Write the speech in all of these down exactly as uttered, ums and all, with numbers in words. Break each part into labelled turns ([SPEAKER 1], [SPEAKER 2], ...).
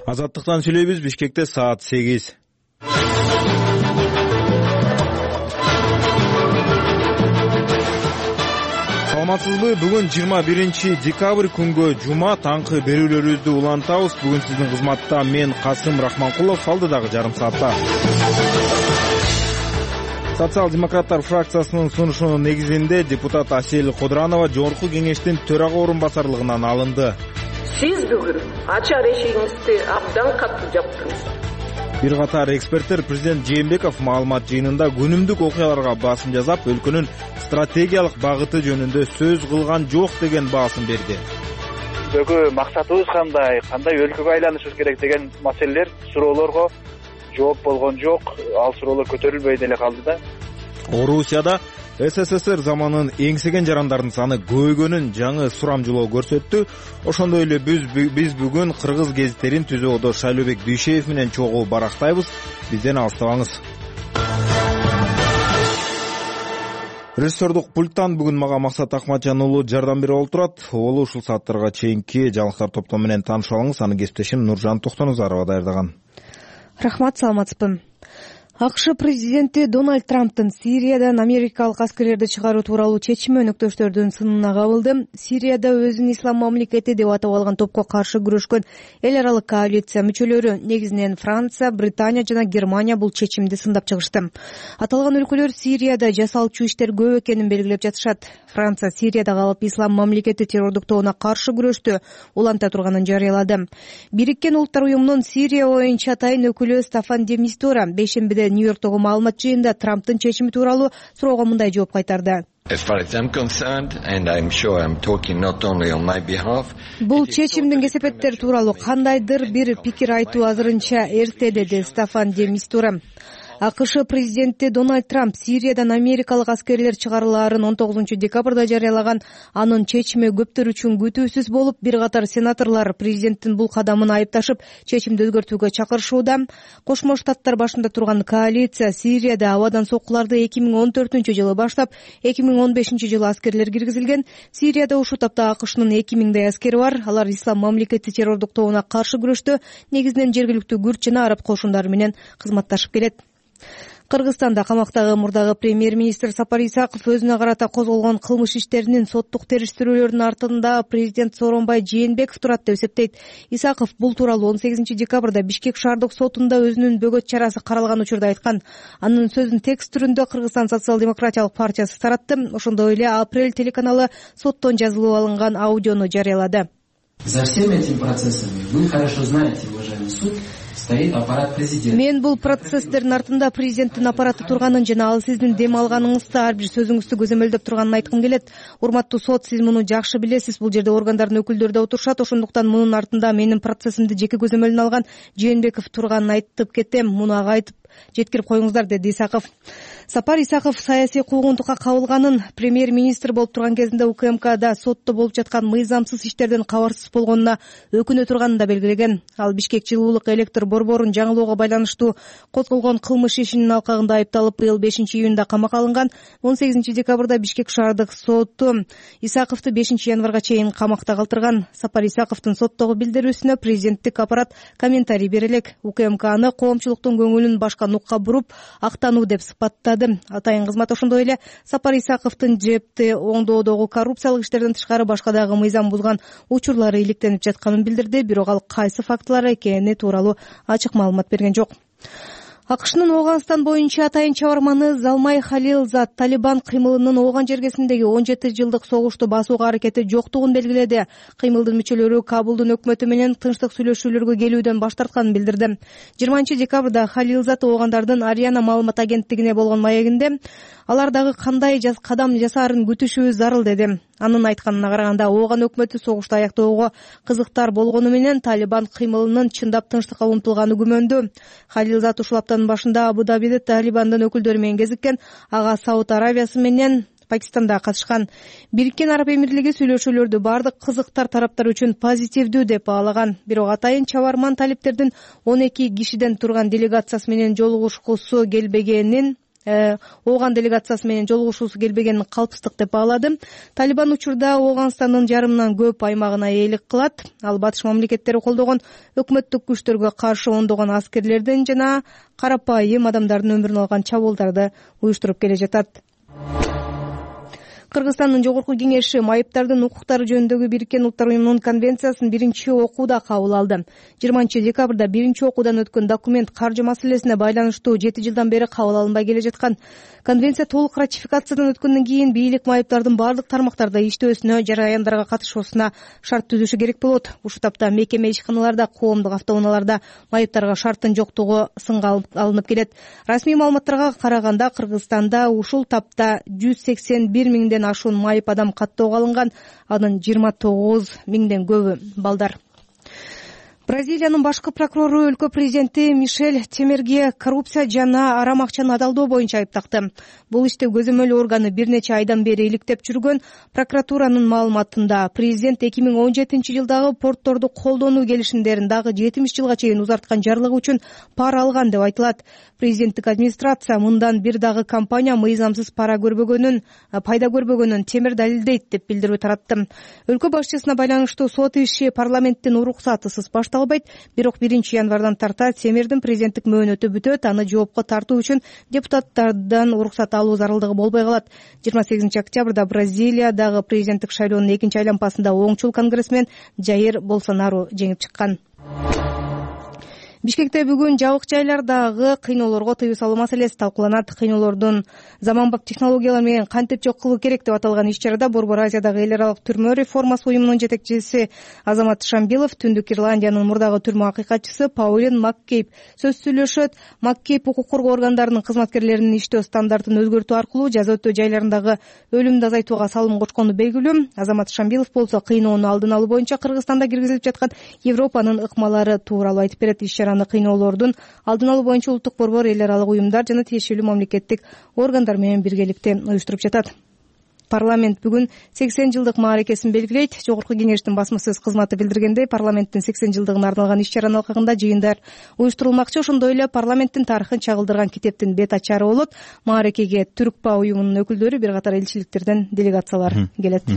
[SPEAKER 1] Азаттыктан сүйлөйбүз. Бишкекте саат сегиз. Саламатсызбы? Бүгүн жыйырма биринчи декабрь күнгө жума таңкы берүүлөрүбүздү улантабыз. Бүгүн сиздин кызматта мен Касым Рахманкулов, алдыдагы жарым саатта. Социал-демократтар фракциясынын сунушунун негизинде депутат Асель Кодуранова Жогорку кеңештин төрага орун басарлыгынан алынды.
[SPEAKER 2] Сиз бүгүн ачар эшигиңизди абдан катуу жаптыңыз.
[SPEAKER 1] Бир катар эксперттер президент Жээнбеков маалымат жыйынында күнүмдүк окуяларга басым жасап, өлкөнүн стратегиялык багыты жөнүндө сөз кылган жок деген баасын берди.
[SPEAKER 3] Бүгү максатыбыз кандай, кандай өлкөгө айланышыбыз керек деген маселелер, суроолорго жооп болгон жок. Ал суроолор көтөрүлбөй деле калды да.
[SPEAKER 1] Орусияда СССР заманын эңсеген жарандардын саны көбөйгөнүн жаңы сурамжылоо көрсөттү. Ошондой эле биз биз бүгүн кыргыз гезиттерин түзүүдө Шайлообек Дүйшеев менен чогуу барактайбыз. Бизден алыстабаңыз. Режиссердук пульттан бүгүн мага Максат Акматжан уулу жардам берип олтурат. Ол ушул сааттарга чейинки жаңылыктар топтому менен таанышып алыңыз. Аны кесиптешим Нуржан Токтонузарова даярдаган.
[SPEAKER 4] Рахмат, саламатсызбы. АКШ президенти Дональд Трамптын Сириядан америкалык аскерлерди чыгаруу тууралуу чечими өнөктөштөрдүн сынына кабылды. Сирияда өзүн ислам мамлекети деп атап алган топко каршы күрөшкөн эл аралык коалиция мүчөлөрү, негизинен Франция, Британия жана Германия бул чечимди сындап чыгышты. Аталган өлкөлөр Сирияда жасалчу иштер көп экенин белгилеп жатышат. Франция Сирияда калып ислам мамлекети террордук тобуна каршы күрөштү уланта турганын жарыялады. Бириккен Улуттар уюмунун Сирия боюнча атайын өкүлү Стаффан де Мистура бейшембиде Нью-Йорктогу маалымат жыйында Трамптын чечими тууралуу суроого мындай жооп кайтарды. Бул чечимдин кесепеттери тууралуу кандайдыр бир пикир айтуу азырынча эрте, деди Стаффан де Мистура. АКШ президенти Дональд Трамп Сириядан америкалык аскерлер чыгарылаарын он тогузунчу декабрда жарыялаган. Анын чечими көптөр үчүн күтүүсүз болуп, бир катар сенаторлор президенттин бул кадамын айыпташып, чечимди өзгөртүүгө чакырышууда. Кошмо Штаттар башында турган коалиция Сирияда абадан соккуларды эки миң он төртүнчү жылы баштап, эки миң он бешинчи жылы аскерлер киргизилген. Сирияда ушул тапта АКШнын эки миңдей аскери бар. Алар ислам мамлекети террордук тобуна каршы күрөштө негизинен жергиликтүү күрд жана араб кошундары менен кызматташып келет. Кыргызстанда камактагы мурдагы премьер-министр Сапар Исаков өзүнө карата козголгон кылмыш иштеринин соттук териштирүүлөрүнүн артында президент Сооронбай Жээнбеков турат деп эсептейт. Исаков бул тууралуу он сегизинчи декабрда Бишкек шаардык сотунда өзүнүн бөгөт чарасы каралган учурда айткан. Анын сөзүн текст түрүндө Кыргызстан социал-демократиялык партиясы таратты. Ошондой эле Апрель телеканалы соттон жазылып алынган аудиону жарыялады.
[SPEAKER 5] За всеми этими процессами вы хорошо знаете, уважаемый суд, стоит аппарат президента.
[SPEAKER 4] Мен бул процесстердин артында президенттин аппараты турганын жана ал сиздин дем алганыңызды, ар бир сөзүңүздү көзөмөлдөп турганын айткым келет. Урматтуу сот, сиз муну жакшы билесиз. Бул жерде органдардын өкүлдөрү да отурушат. Ошондуктан мунун артында менин процессимди жеке көзөмөлүнө алган Жээнбеков турганын айтып кетем. Муну ага айтып жеткирип коюңуздар, деди Исаков. Сапар Исаков саясий куугунтукка кабылганын, премьер-министр болуп турган кезинде УКМКда сотто болуп жаткан мыйзамсыз иштерден кабарсыз болгонуна өкүнө турганын да белгилеген. Ал Бишкек жылуулук электр борборун жаңылоого байланыштуу козголгон кылмыш ишинин алкагында айыпталып, быйыл бешинчи июнда камакка алынган. он сегизинчи декабрда Бишкек шаардык соту Исаковду бешинчи январга чейин камакта калтырган. Сапар Исаковдун соттогу билдирүүсүнө президенттик аппарат комментарий бере элек. УКМК аны коомчулуктун көңүлүн башка нукка буруп, актануу деп сыпаттады. Атайын кызмат ошондой эле Сапар Исаковдун жепти оңдоодогу коррупциялык иштерден тышкары башка дагы мыйзам бузган учурлары иликтенип жатканын билдирди. Бирок ал кайсы фактылар экени тууралуу ачык маалымат берген жок. АКШнын Ооганстан боюнча атайын чабарманы Залмай Халилзад Талибан кыймылынын Ооган жергесиндеги он жети жылдык согушту басууга аракети жоктугун белгиледи. Кыймылдын мүчөлөрү Кабулдун өкмөтү менен тынчтык сүйлөшүүлөргө келүүдөн баш тартканын билдирди. жыйырманчы декабрда Халилзад Оогандардын Ариана маалымат агенттигине болгон маегинде алар дагы кандай кадам жасаарын күтүшүбүз зарыл, деди. Анын айтканына караганда, Ооган өкмөтү согушту аяктоого кызыктар болгону менен Талибан кыймылынын чындап тынчтыкка умтулганы күмөндүү. Халилзад ушул аптанын башында Абу-Дабиде Талибандын өкүлдөрү менен кезиккен. Ага Сауд Аравиясы менен Пакистанда катышкан. Бириккен Араб Эмирлиги сүйлөшүүлөрдү бардык кызыктар тараптар үчүн позитивдүү деп баалаган. Бирок атайын чабарман талиптердин он эки кишиден турган делегациясы менен жолугушкусу келбегенин Ооган делегациясы менен жолугушуусу келбегенин калпстык деп баалады. Талибан учурда Ооганстандын жарымынан көп аймагына ээлик кылат. Ал батыш мамлекеттери колдогон өкмөттүк күчтөргө каршы ондогон аскерлердин жана карапайым адамдардын өмүрүн алган чабуулдарды уюштуруп келе жатат. Кыргызстандын Жогорку Кеңеши майыптардын укуктары жөнүндөгү Бириккен Улуттар Уюмунун конвенциясын биринчи окууда кабыл алды. жыйырманчы декабрда биринчи окуудан өткөн документ каржы маселесине байланыштуу жети жылдан бери кабыл алынбай келе жаткан. Конвенция толук ратификациядан өткөндөн кийин бийлик майыптардын бардык тармактарда иштөөсүнө, жараяндарга катышуусуна шарт түзүшү керек болот. Ушул тапта мекеме ишканаларда, коомдук автоунааларда майыптарга шарттын жоктугу сынга алынып келет. Расмий маалыматтарга караганда Кыргызстанда ушул тапта жүз сексен бир миңден ашуун майып адам каттоого алынган, анын жыйырма тогуз миңден көбү балдар. Бразилиянын башкы прокурору өлкө президенти Мишель Темерге коррупция жана арам акчаны адалдоо боюнча айыптакты. Бул иште көзөмөл органы бир нече айдан бери иликтеп жүргөн. Прокуратуранын маалыматында президент эки миң он жетинчи жылдагы портторду колдонуу келишимдерин дагы жетимиш жылга чейин узарткан жарлыгы үчүн пара алган деп айтылат. Президенттик администрация мындан бир дагы компания мыйзамсыз пара көрбөгөнүн, пайда көрбөгөнүн Темир далилдейт деп билдирүү таратты. Өлкө башчысына байланыштуу сот иши парламенттин уруксатысыз башталбайт, бирок биринчи январдан тарта Темирдин президенттик мөөнөтү бүтөт, аны жоопко тартуу үчүн депутаттардан уруксат алуу зарылдыгы болбой калат. жыйырма сегизинчи октябрда Бразилиядагы президенттик шайлоонун экинчи айланпасында оңчул конгрессмен Жаир Болсонару жеңип чыккан. Бишкекте бүгүн жабык жайлардагы кыйноолорго тыюу салуу маселеси талкууланат. Кыйноолордун заманбап технологиялар менен кантип жок кылуу керек деп аталган иш-чарада Борбор Азиядагы эл аралык түрмө реформасы уюмунун жетекчиси Азамат Шамбилов, Түндүк Ирландиянын мурдагы түрмө акыйкатчысы Паулин Маккейб сөз сүйлөшөт. Маккейб укук коргоо органдарынын кызматкерлеринин иштөө стандартын өзгөртүү аркылуу жаза өтөө жайларындагы өлүмдү азайтууга салым кочкону белгилүү. Азамат Шамбилов болсо кыйноону алдын алуу боюнча Кыргызстанда киргизилип жаткан Европанын ыкмалары тууралуу айтып берет. Иш-чараны кыйноолордун алдын алуу боюнча улуттук борбор, эл аралык уюмдар жана тиешелүү мамлекеттик органдар менен биргеликте уюштуруп жатат. Парламент бүгүн сексен жылдык мааракесин белгилейт. Жогорку Кеңештин басма сөз кызматы билдиргендей, парламенттин сексен жылдыгына арналган иш-чаранын алкагында жыйындар уюштурулмакчы. Ошондой эле парламенттин тарыхын чагылдырган китептин бет ачары болот. Мааракеге Түркпа уюмунун өкүлдөрү, бир катар элчиликтерден делегациялар келет.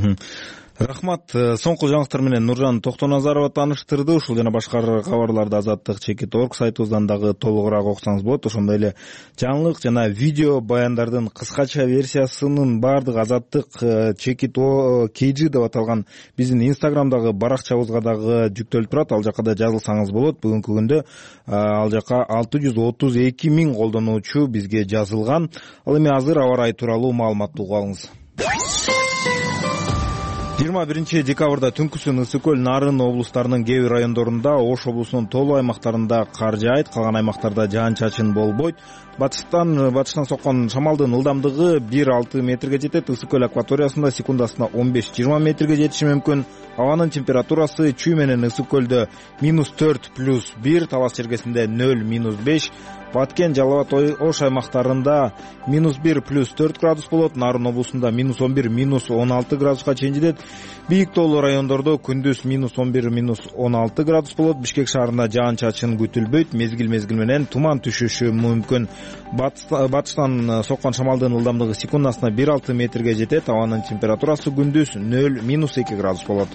[SPEAKER 1] Рахмат. Соңку жаңылыктар менен Нуржан Токтоназарова тааныштырды. Ушул жана башка кабарларды Азаттык чекит точка орг сайтыбыздан дагы толугураак окусаңыз болот. Ошондой эле жаңылык жана видео баяндардын кыскача версиясынын баардыгы Азаттык чекит kg деп аталган биздин инстаграмдагы баракчабызга дагы жүктөлүп турат. Ал жака да жазылсаңыз болот. Бүгүнкү күндө ал жака алты жүз отуз эки миң колдонуучу бизге жазылган. Ал эми азыр аба ырайы тууралуу маалыматты угуп алыңыз. жыйырма биринчи декабрда түнкүсүн Ысык көл, Нарын облустарынын кээ бир райондорунда, Ош облусунун толуу аймактарында кар жаайт, калган аймактарда жаан-чачын болбойт. Батыштан батыштан соккон шамалдын ылдамдыгы бир алты метрге жетет. Ысык көл акваториясында секундасына он беш жыйырма метрге жетиши мүмкүн. Абанын температурасы чүй менен Ысык көлдө минус төрт плюс бир, Талас чергесинде нөл минус беш, Баткен, Жалал абад, Ош аймактарында минус бир плюс төрт градус болот. Нарын облусунда минус он бир минус он алты градуска чейин жетет. Бийик тоолуу райондордо күндүз минус он бир минус он алты градус болот. Бишкек шаарында жаан-чачын күтүлбөйт. Мезгил мезгил менен туман түшүшү мүмкүн. Батыштан соккон шамалдын ылдамдыгы секундасына бир алты метрге жетет. Абанын температурасы күндүз нөл минус эки градус болот.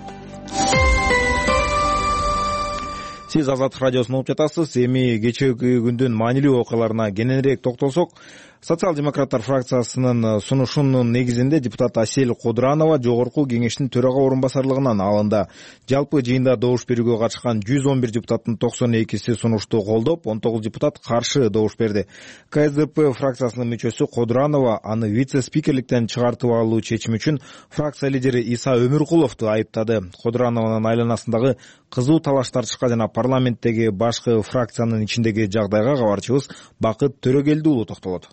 [SPEAKER 1] Сиз Азаттык радиосун угуп жатасыз. Эми кечээги күндүн маанилүү окуяларына кененирээк токтолсок, Социал-демократтар фракциясынын сунушунун негизинде депутат Асель Кодуранова Жогорку Кеңештин төрага орун басарлыгынан алынды. Жалпы жыйында добуш берүүгө катышкан жүз он бир депутаттын токсон экиси сунушту колдоп, он тогуз депутат каршы добуш берди. ка эс дэ пэ фракциясынын мүчөсү Кодуранова аны вице-спикерликтен чыгартып алуу чечими үчүн фракция лидери Иса Өмүркуловду айыптады. Кодурановдун айланасындагы кызуу талаш тартышка жана парламенттеги башкы фракциянын ичиндеги жагдайга кабарчыбыз Бакыт Төрөгелди уулу токтолот.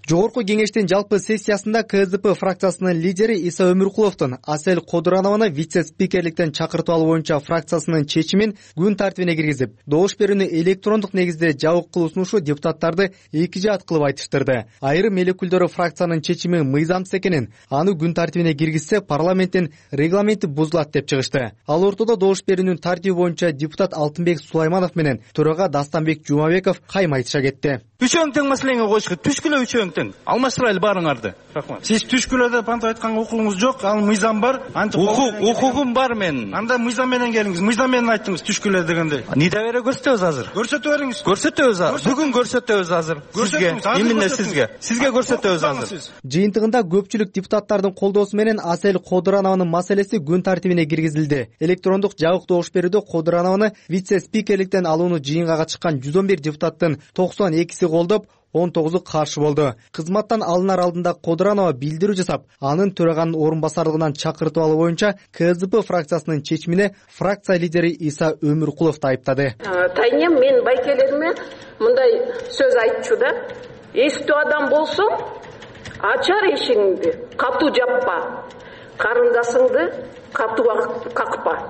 [SPEAKER 6] Жогорку Кеңештин жалпы сессиясында ка эс дэ пэ фракциясынын лидери Иса Өмүркуловдун Асель Кодуранованы вице-спикерликтен чакыртып алуу боюнча фракциясынын чечимин күн тартибине киргизип, добуш берүүнү электрондук негизде жабык кылуу сунушу депутаттарды эки жаат кылып айтыштырды. Айрым эл өкүлдөрү фракциянын чечими мыйзамсыз экенин, аны күн тартибине киргизсе парламенттин регламенти бузулат деп чыгышты. Ал ортодо добуш берүүнүн тартиби боюнча депутат Алтынбек Сулайманов менен төрага Дастанбек Жумабеков кайма айтыша кетти.
[SPEAKER 7] Үчөөң тең маселеңе коюшка түшкүлө үчөөң тең. Алмаштырайлы баарыңарды. Рахмат. Сиз түшкүлөдө панта айтканга укугуңуз жок, ал мыйзам бар. Укугум бар менин. Анда мыйзам менен келиңиз. Мыйзам менен айттыңыз түшкүлө дегенде. Ниде бере көрсөтөбүз азыр? Көрсөтө бериңиз. Көрсөтөбүз азыр. Бүгүн көрсөтөбүз азыр. Сизге, именно сизге. Сизге көрсөтөбүз азыр.
[SPEAKER 6] Жыйынтыгында көпчүлүк депутаттардын колдоосу менен Асель Кодуранованын маселеси күн тартибине киргизилди. Электрондук жабык добуш берүүдө Кодуранованы вице-спикерликтен алууну жыйынга катышкан жүз он бир депутаттын токсон экиси колдоп, он тогузу каршы болду. Кызматтан алынар алдында Кодуранова билдирүү жасап, анын төраганын орун басарлыгынан чакыртып алуу боюнча КСДП фракциясынын чечимине фракция лидери Иса Өмүркуловду айыптады.
[SPEAKER 2] Тайнем мен байкелериме мындай сөз айтчу да. Эстүү адам болсоң, ачар эшигиңди, катуу жаппа. Карындашыңды катуу какпа.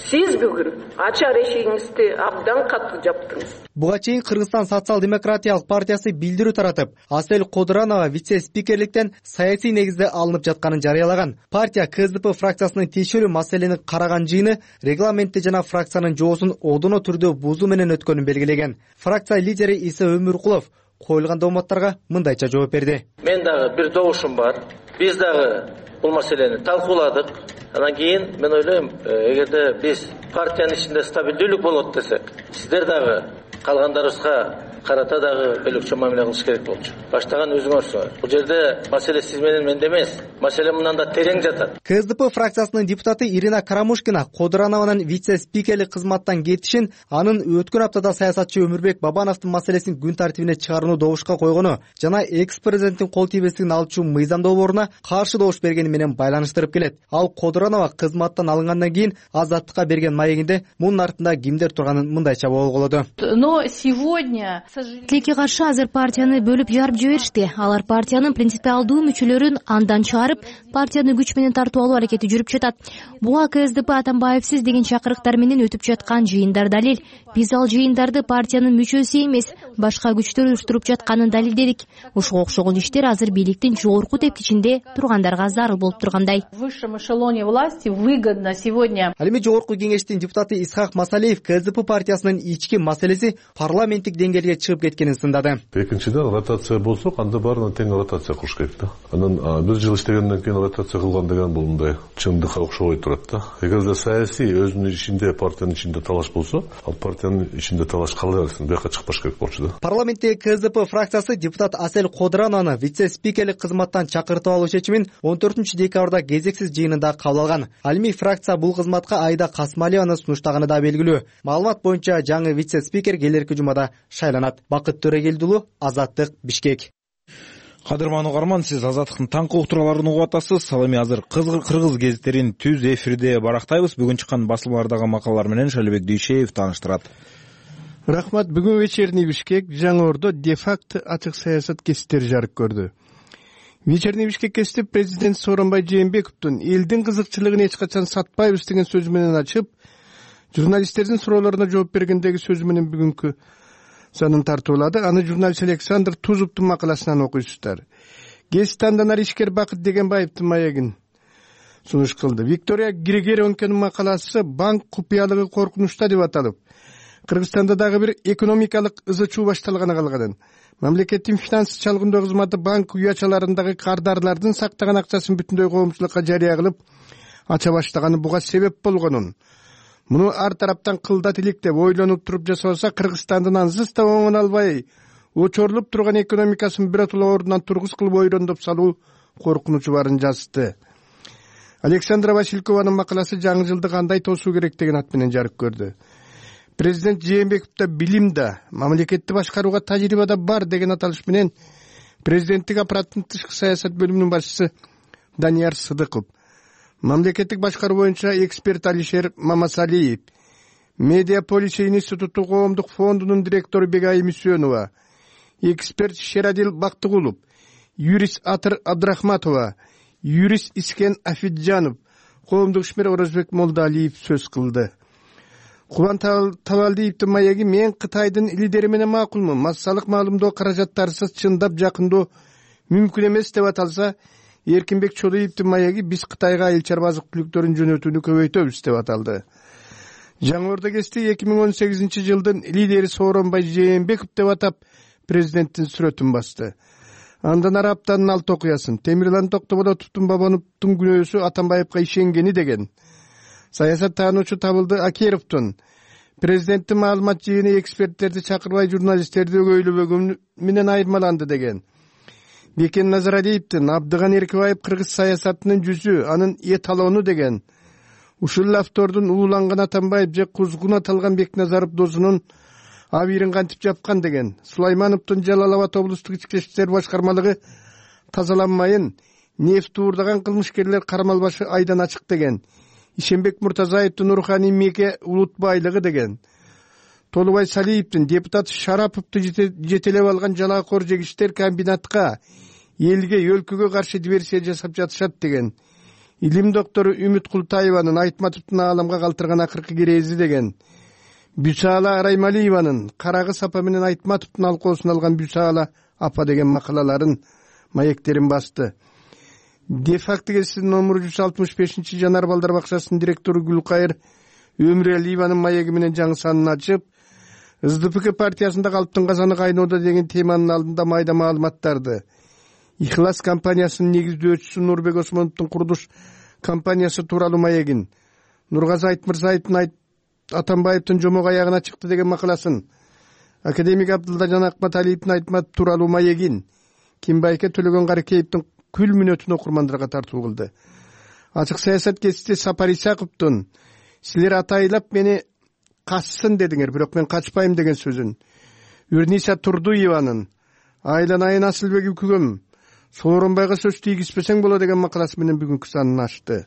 [SPEAKER 2] Сиз бүгүн ачар эшигиңизди абдан катуу жаптыңыз.
[SPEAKER 6] Буга чейин Кыргызстан социал-демократиялык партиясы билдирүү таратып, Асель Кодуранова вице-спикерликтен саясий негизде алынып жатканын жарыялаган. Партия КСДП фракциясынын тиешелүү маселени караган жыйыны регламентти жана фракциянын жоосун одоно түрдө бузуу менен өткөнүн белгилеген. Фракция лидери Иса Өмүркулов коюлган дооматтарга мындайча жооп берди.
[SPEAKER 8] Мен дагы бир добушум бар. Биз дагы бул маселени талкууладык. Анан кийин мен ойлойм, эгерде биз партиянын ичинде стабилдүүлүк болот десек, сиздер дагы калгандарыбызга карата дагы бөлөкчө мамиле кылыш керек болчу. Баштаган өзүңөрсүңөр. Бул жерде маселе сиз менен менде эмес. Маселе мындан да терең жатат.
[SPEAKER 6] КСДП фракциясынын депутаты Ирина Карамушкина Кодуранованын вице-спикерлик кызматтан кетишин, анын өткөн аптада саясатчы Өмүрбек Бабановдун маселесин күн тартибине чыгарууну добушка койгону жана экс-президенттин кол тийбестигин алчу мыйзам долбооруна каршы добуш бергени менен байланыштырып келет. Ал Кодуранова кызматтан алынгандан кийин Азаттыкка берген маегинде мунун артында кимдер турганын мындайча болголоду.
[SPEAKER 9] Но сегодня
[SPEAKER 10] Тилекке каршы азыр партияны бөлүп жарып жиберишти. Алар партиянын принципиалдуу мүчөлөрүн андан чыгарып, партияны күч менен тартып алуу аракети жүрүп жатат. Буга КСДП Атамбаевсиз деген чакырыктар менен өтүп жаткан жыйындар далил. Биз ал жыйындарды партиянын мүчөсү эмес, башка күчтөр уюштуруп жатканын далилдедик. Ушуга окшогон иштер азыр бийликтин жогорку тепкичинде тургандарга зарыл болуп тургандай.
[SPEAKER 9] В высшем эшелоне власти выгодно сегодня.
[SPEAKER 6] Ал эми жогорку кеңештин депутаты Исхак Масалиев КСДП партиясынын ички маселеси парламенттик деңгээлге чыгып кеткенин сындады.
[SPEAKER 11] Экинчиден, ротация болсо, анда баарына тең ротация кылыш керек да. Анан бир жыл иштегенден кийин ротация кылган деген бул мындай чындыкка окшобой турат да. Эгерде саясий өзүнүн ичинде, партиянын ичинде талаш болсо, ал партиянын ичинде талаш кала берсин, бияка чыкпаш керек болчу да.
[SPEAKER 6] Парламентте КСДП фракциясы депутат Асель Кодуранованы вице-спикерлик кызматтан чакыртып алуу чечимин он төртүнчү декабрда кезексиз жыйынында кабыл алган. Ал эми фракция бул кызматка Айда Касмалиеваны сунуштаганы да белгилүү. Маалымат боюнча жаңы вице-спикер келерки жумада шайланат. Бакыт Төрегелдулу, Азаттык, Бишкек.
[SPEAKER 1] Кадырман угарман, сиз Азаттыктын таңкы уктурууларын угуп атасыз. Ал эми азыр кыргыз гезиттерин түз эфирде барактайбыз. Бүгүн чыккан басылмалардагы макалалар менен Шайлообек Дүйшеев тааныштырат.
[SPEAKER 12] Рахмат. Бүгүн вечерний Бишкек Жаңы Ордо де-факто ачык саясат кесиптери жарык көрдү. Вечерний Бишкек кесип президент Сооронбай Жээнбековдун элдин кызыкчылыгын эч качан сатпайбыз деген сөзү менен ачып, журналисттердин суроолоруна жооп бергендеги сөзү менен бүгүнкү санын тартуулады. Аны журналист Александр Тузуптун макаласынан окуйсуздар. Гезит андан ары ишкер Бакыт Дегенбаевдин маегин сунуш кылды. Виктория Григоренконун макаласы «Банк купуялыгы коркунучта» деп аталып, Кыргызстанда дагы бир экономикалык ызы чуу башталганы калган. Мамлекеттин финанс чалгындоо кызматы банк уячаларындагы кардарлардын сактаган акчасын бүтүндөй коомчулукка жарыя кылып ача баштаганы буга себеп болгонун, муну ар тараптан кылдат илик деп ойлонуп туруп жасабаса, Кыргызстандын ансыз да оңун албай очорлуп турган экономикасын биротоло ордунан тургуз кылып ойрондоп салуу коркунучу барын жазды. Александра Василькованын макаласы жаңы жылды кандай тосуу керек деген ат менен жарык көрдү. Президент Жээнбековдо билим да, мамлекетти башкарууга тажрыйба да бар деген аталыш менен президенттик аппараттын тышкы саясат бөлүмүнүн башчысы Данияр Сыдыков, мамлекеттик башкаруу боюнча эксперт Алишер Мамасалиев, Медиаполис институту коомдук фондунун директору Бегай Мүсөнова, эксперт Шерадил Бактыгулов, юрист Атыр Абдрахматова, юрист Искен Афиджанов, коомдук ишмер Орозбек Молдалиев сөз кылды. Кубан Табалдиевдин маеги «Мен Кытайдын лидери менен макулмун. Массалык маалымдоо каражаттарсыз чындап жакындоо мүмкүн эмес» деп аталса, Эркинбек Чодоевдин маеги «Биз Кытайга айыл-чарба азык-түлүктөрүн жөнөтүүнү көбөйтөбүз» деп аталды. Жаңы Ордо кести эки миң он сегизинчи жылдын лидери Сооронбай Жээнбеков деп атап президенттин сүрөтүн басты. Андан ары аптанын алты окуясын. Темирлан Токтоболотовдун Бабановдун күнөөсү Атамбаевга ишенгени деген. Саясат таануучу Табылды Акеровдун президенттин маалымат жыйыны эксперттерди чакырбай журналисттерди өгөйлөбөгөнү менен айырмаланды деген. Бекен Назаралиевдин Абдыган Эркебаев кыргыз саясатынын жүзү, анын эталону деген. Ушул автордун Ууланган Атамбаев же Кузгун аталган Бекназаров досунун абийирин кантип жапкан деген. Сулаймановдун Жалал Абад облустук ички иштер башкармалыгы тазаланмайын, нефт уурдаган кылмышкерлер кармалбашы айдан ачык деген. Ишенбек Муртазаевдин Руханий меке улут байлыгы деген. Толубай Салиевдин депутат Шараповду жетелеп алган жалаакор жегиштер комбинатка, элге, өлкөгө каршы диверсия жасап жатышат деген. Илим доктору Үмүт Култаеванын Айтматовдун ааламга калтырган акыркы керези деген. Бюсала Араймалиеванын Карагыз апа менен Айтматовдун алкоосун алган Бюсала апа деген макалаларын, маектерин басты. Де-факто гезитинин номуру жүз алтымыш бешинчи Жанар балдар бакчасынын директору Гүлкайыр Өмүралиеванын маеги менен жаңы санын ачып, СДПК партиясында калыптын казаны кайноодо деген теманын алдында майда маалыматтарды. Ихлас компаниясынын негиздөөчүсү Нурбек Осмоновдун курулуш компаниясы тууралуу маегин, Нургазы Айтмырзаевдин Атамбаевдин жомок аягына чыкты деген макаласын, академик Абдылдажан Акматалиевдин Айтмат тууралуу маегин, Кимбайке Төлөгөн Каракеевдин күл мүнөтүн окурмандарга тартуу кылды. Ачык саясат гезити Сапар Исаковдун силер атайлап мени кассын дедиңер, бирок мен качпайм деген сөзүн, Үрниса Турдуеванын Айланайын Асылбек үкүгөм Сооронбайга сөз тийгизбесең боло деген макаласы менен бүгүнкү санын ачты.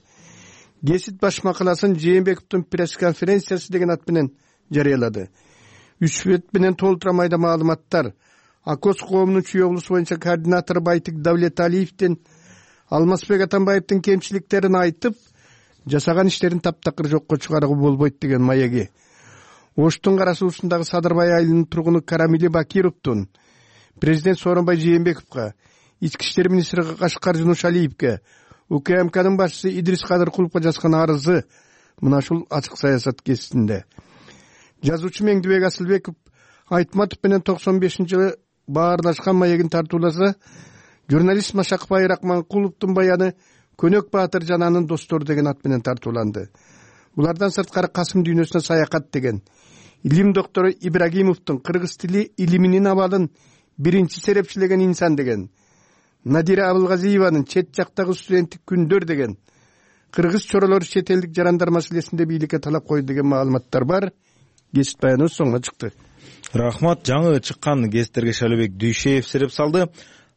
[SPEAKER 12] Гезит баш макаласын Жээнбековдун пресс-конференциясы деген ат менен жарыялады. Үч бет менен толтура майда маалыматтар. Акос коомунун чүй облусу боюнча координатору Байтик Давлеталиевдин Алмазбек Атамбаевдин кемчиликтерин айтып, жасаган иштерин таптакыр жокко чыгарууга болбойт деген маеги. Оштун кара суусундагы Садырбай айылынын тургуну Карамили Бакировдун президент Сооронбай Жээнбековго, ички иштер министри Кашкар Жунушалиевге, УКМКнын башчысы Идрис Кадыркуловго жазган арызы мына ушул ачык саясат гезитинде. Жазуучу Меңдибек Асылбеков Айтматов менен токсон бешинчи жылы баарлашкан маегин тартууласа, журналист Машакбай Рахманкуловдун баяны Көнөк Баатыр жананын достору деген ат менен тартууланды. Булардан сырткары Касым дүйнөсүнө саякат деген. Илим доктору Ибрагимовдун кыргыз тили илиминин абалын биринчи серепчилеген инсан деген. Надира Абылгазиеванын чет жактагы студенттик күндөр деген. Кыргыз чоролору чет элдик жарандар маселесинде бийликке талап койду деген маалыматтар бар. Гезит баяны соңго чыкты.
[SPEAKER 1] Рахмат. Жаңы чыккан гезиттерге Шайлообек Дүйшеев сереп салды.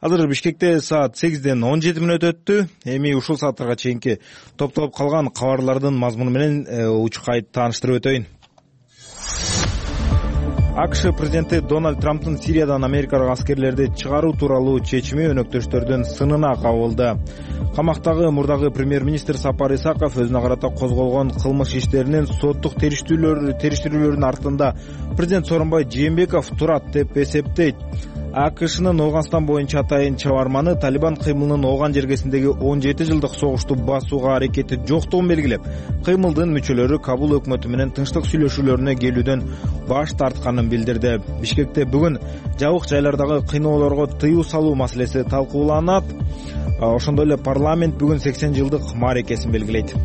[SPEAKER 1] Азыр Бишкекте саат сегизден он жети мүнөт өттү. Эми ушул сааттарга чейинки топтолуп калган кабарлардын мазмуну менен учкайт тааныштырып өтөйүн. АКШ президенти Дональд Трамптын Сириядан Америкага аскерлерди чыгаруу тууралуу чечими өнөктөштөрдүн сынына кабылды. Камактагы мурдагы премьер-министр Сапар Исаков өзүнө карата козголгон кылмыш иштеринин соттук териштирүүлөрүнүн артында президент Сооронбай Жээнбеков турат деп эсептейт. АКШнын Ооганстан боюнча атайын чабарманы Талибан кыймылынын Ооган жергесиндеги он жети жылдык согушту басууга аракети жоктугун белгилеп, кыймылдын мүчөлөрү Кабул өкмөтү менен тынчтык сүйлөшүүлөрүнө келүүдөн баш тартканын билдирди. Бишкекте бүгүн жабык жайлардагы кыйноолорго тыюу салуу маселеси талкууланат. Ошондой эле парламент бүгүн сексен жылдык мааракесин белгилейт.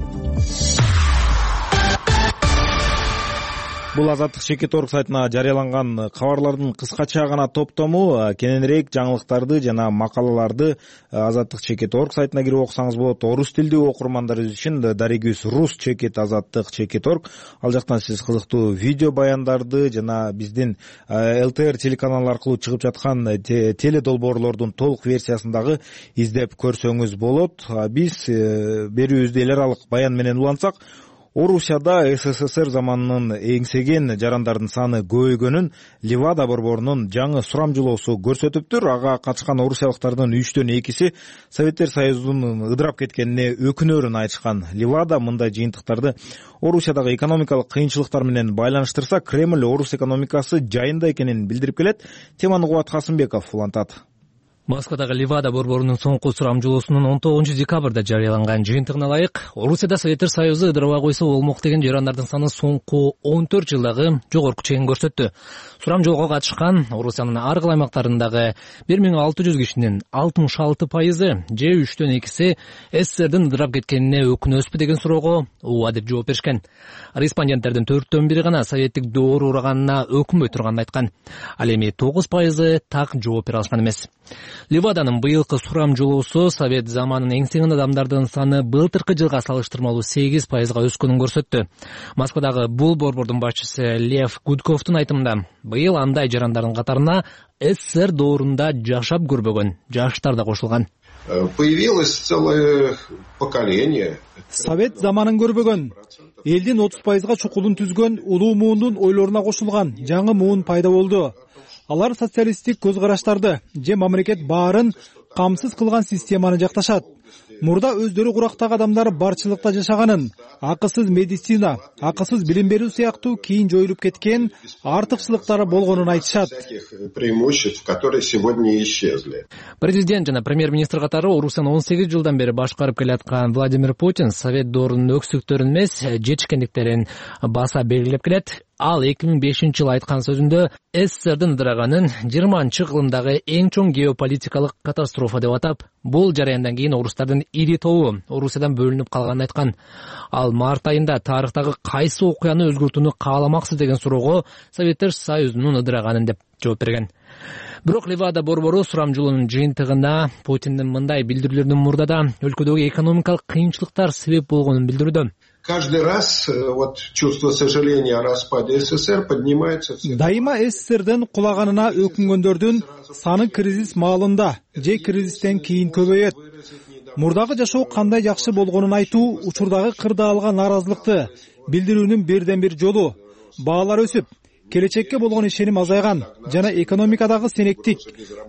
[SPEAKER 1] Бул Азаттык Чекит орг сайтына жарыяланган кабарлардын кыскача гана топтому. Кененирээк жаңылыктарды жана макалаларды Азаттык Чекит орг сайтына кирип окусаңыз болот. Орус тилдүү окурмандарыбыз үчүн Даригүз Рус Чекит Азаттык Чекит орг. Ал жактан сиз кызыктуу видео баяндарды жана биздин ЛТР телеканалы аркылуу чыгып жаткан теле долбоорлордун толук версиясындагы издеп көрсөңүз болот. Биз берүүбүздү эл аралык баян менен улантсак, Орусияда СССР заманынын эңсеген жарандардын саны көбөйгөнүн Левада борборунун жаңы сурамжылоосу көрсөтүптүр. Ага катышкан орусиялыктардын үчтөн экиси Советтер Союзунун ыдырап кеткенине өкүнөрүн айтышкан. Левада мындай жыйынтыктарды Орусиядагы экономикалык кыйынчылыктар менен байланыштырса, Кремль орус экономикасы жайында экенин билдирип келет. Теманы Кубат Касымбеков улантат.
[SPEAKER 13] Москвадагы Левада борборунун соңку сурамжылоосунун он тогузунчу декабрда жарыяланган жыйынтыгына ылайык Орусияда Советтер Союзу ыдырабай койсо болмок деген жарандардын саны соңку он төрт жылдагы жогорку чегин көрсөттү. Сурамжылоого катышкан Орусиянын ар кайсы аймактарындагы бир миң алты жүз кишинин алтымыш алты пайызы же үчтөн экиси СССРдин ыдырап кеткенине өкүнөсүзбү деген суроого ооба деп жооп беришкен. Респонденттердин төрттөн бири гана советтик доор ураганына өкүнбөй турганын айткан. Ал эми тогуз пайызы так жооп бере алышкан эмес. Леваданын быйылкы сурамжылоосу совет заманын эңсеген адамдардын саны былтыркы жылга салыштырмалуу сегиз пайызга өскөнүн көрсөттү. Москвадагы бул борбордун башчысы Лев Гудковдун айтымында, быйыл андай жарандардын катарына СССР доорунда жашап көрбөгөн жаштар да кошулган.
[SPEAKER 14] Появилось целое поколение.
[SPEAKER 15] Совет заманын көрбөгөн, элдин отуз пайызга чукулун түзгөн улуу муундун ойлоруна кошулган жаңы муун пайда болду. Алар социалисттик көз караштарды же мамлекет баарын камсыз кылган системаны жакташат. Мурда өздөрү курактагы адамдар барчылыкта жашаганын, акысыз медицина, акысыз билим берүү сыяктуу кийин жоюлуп кеткен артыкчылыктары болгонун айтышат.
[SPEAKER 14] Преимуществ, которые сегодня исчезли.
[SPEAKER 13] Президент жана премьер-министр катары Орусияны он сегиз жылдан бери башкарып келаткан Владимир Путин совет доорунун өксүктөрүн эмес, жетишкендиктерин баса белгилеп келет. Ал эки миң бешинчи жылы айткан сөзүндө СССРдин ыдыраганын жыйырманчы кылымдагы эң чоң геополитикалык катастрофа деп атап, бул жараяндан кийин орустардын ири тобу Орусиядан бөлүнүп калганын айткан. Ал март айында тарыхтагы кайсы окуяны өзгөртүүнү кааламаксыз деген суроого Советтер Союзунун ыдыраганын деп жооп берген. Бирок Левада борбору сурамжылоонун жыйынтыгына Путиндин мындай билдирүүлөрүнүн мурдада өлкөдөгү экономикалык кыйынчылыктар себеп болгонун билдирүүдө.
[SPEAKER 14] Каждый раз вот чувство сожаления о распаде СССР поднимается.
[SPEAKER 15] Дайыма СССРдин кулаганына өкүнгөндөрдүн саны кризис маалында же кризистен кийин көбөйөт. Мурдагы жашоо кандай жакшы болгонун айтуу учурдагы кырдаалга нааразылыкты билдирүүнүн бирден бир жолу. Баалар өсүп, келечекке болгон ишеним азайган жана экономикадагы сенектик,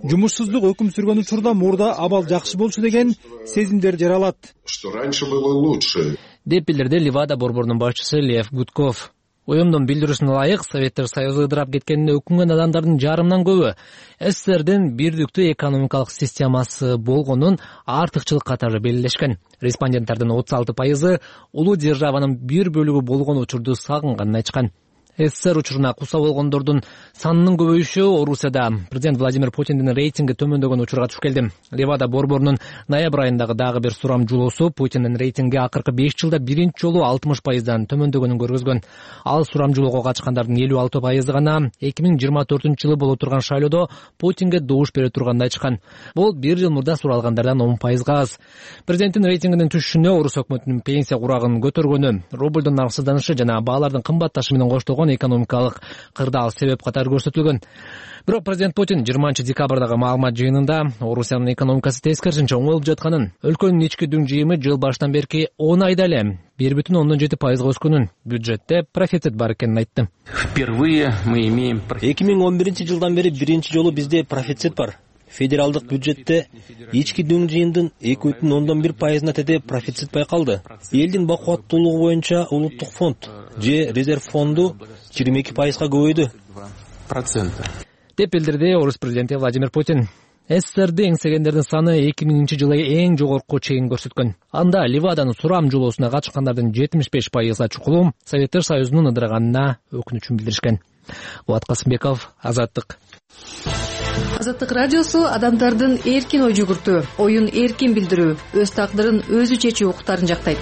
[SPEAKER 15] жумушсуздук өкүм сүргөн учурда мурда абал жакшы болчу деген сезимдер жаралат.
[SPEAKER 14] Что раньше было лучше.
[SPEAKER 13] Деп билдирди Левада борборунун башчысы Лев Гудков. Уюмдун билдирүүсүнө ылайык, Советтер Союзу ыдырап кеткенине өкүнгөн адамдардын жарымынан көбү СССРдин бирдиктүү экономикалык системасы болгонун артыкчылык катары белгилешкен. Респонденттердин отуз алты пайызы улуу державанын бир бөлүгү болгон учурду сагынганын айтышкан. СССР учуруна куса болгондордун санынын көбөйүшү Орусияда президент Владимир Путиндин рейтинги төмөндөгөн учурга туш келди. Левада борборунун ноябрь айындагы дагы бир сурамжылоосу Путиндин рейтинги акыркы беш жылда биринчи жолу алтымыш пайыздан төмөндөгөнүн көргөзгөн. Ал сурамжылоого катышкандардын элүү алты пайызы гана эки миң жыйырма төртүнчү жылы боло турган шайлоодо Путинге добуш бере турганын айтышкан. Бул бир жыл мурда суралгандардан он пайызга аз. Президенттин рейтингинин түшүшүнө Орус өкмөтүнүн пенсия курагын көтөргөнү, рублдун арсызданышы жана баалардын кымбатташы менен коштолгон экономикалык кырдаал себеп катары көрсөтүлгөн. Бирок президент Путин жыйырманчы декабрдагы маалымат жыйынында Орусиянын экономикасы тескерисинче оңолуп жатканын, өлкөнүн ички дүң жыйымы жыл башынан берки он айда эле бир бүтүн ондон жети пайызга өскөнүн, бюджетте профицит бар экенин айтты.
[SPEAKER 16] Впервые мы имеем
[SPEAKER 17] эки миң он биринчи жылдан бери биринчи жолу бизде профицит бар. Федералдык бюджетте ички дүң жыйымдын эки бүтүн ондон бир пайызына теде профицит байкалды. Элдин бакубаттуулугу боюнча улуттук фонд же резерв фонду жыйырма эки пайызга көбөйдү.
[SPEAKER 13] Деп билдирди Орус президенти Владимир Путин. СССРди эңсегендердин саны эки миңинчи жылы эң жогорку чегин көрсөткөн. Анда Леваданын сурамжылоосуна катышкандардын жетимиш беш пайызга чукулу Советтер Союзунун ыдыраганына өкүнүчүн билдиришкен. Болот Касымбеков, Азаттык.
[SPEAKER 18] Азаттык радиосу адамдардын эркин ой жүгүртүү, оюн эркин билдирүү, өз тагдырын өзү чечүү укуктарын жактайт.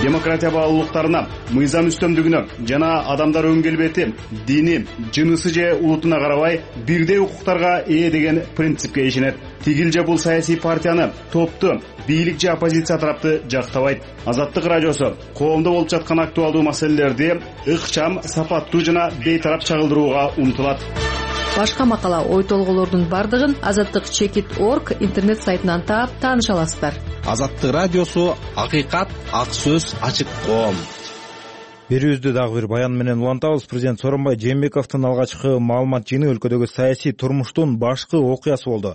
[SPEAKER 19] Демократия баалуулуктарына, мыйзам үстөмдүгүнө жана адамдар өн келбети, дини, жынысы же улутуна карабай бирдей укуктарга ээ деген принципке ишенет. Тигил же бул саясий партияны, топту, бийлик же оппозиция тарапты жактабайт. Азаттык радиосу коомдо болуп жаткан актуалдуу маселелерди ыкчам, сапаттуу жана бейтарап чагылдырууга умтулат.
[SPEAKER 18] Башка макала, ой толголордун бардыгын азаттык чекит точка орг интернет сайтынан таап тааныша аласыздар.
[SPEAKER 20] Азаттык радиосу акыйкат, ак сөз, ачык коом.
[SPEAKER 1] берүүбүздү дагы бир баян менен улантабыз. Президент Сооронбай Жээнбековдун алгачкы маалымат жыйыны өлкөдөгү саясий турмуштун башкы окуясы болду.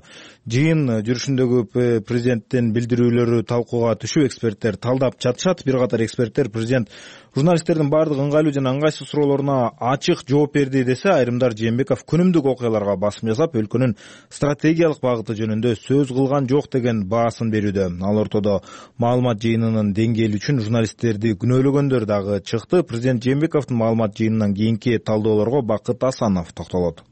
[SPEAKER 1] Жыйын жүрүшүндөгү президенттин билдирүүлөрү талкууга түшүп, эксперттер талдап жатышат. Бир катар эксперттер президент журналисттердин баардык ыңгайлуу жана ыңгайсыз суроолоруна ачык жооп берди десе, айрымдар Жээнбеков күнүмдүк окуяларга басым жасап, өлкөнүн стратегиялык багыты жөнүндө сөз кылган жок деген баасын берүүдө. Ал ортодо маалымат жыйынынын деңгээли үчүн журналисттерди күнөөлөгөндөр дагы чыкты. Президент Жээнбековдун маалымат жыйынынан кийинки талдоолорго Бакыт Асанов токтолот.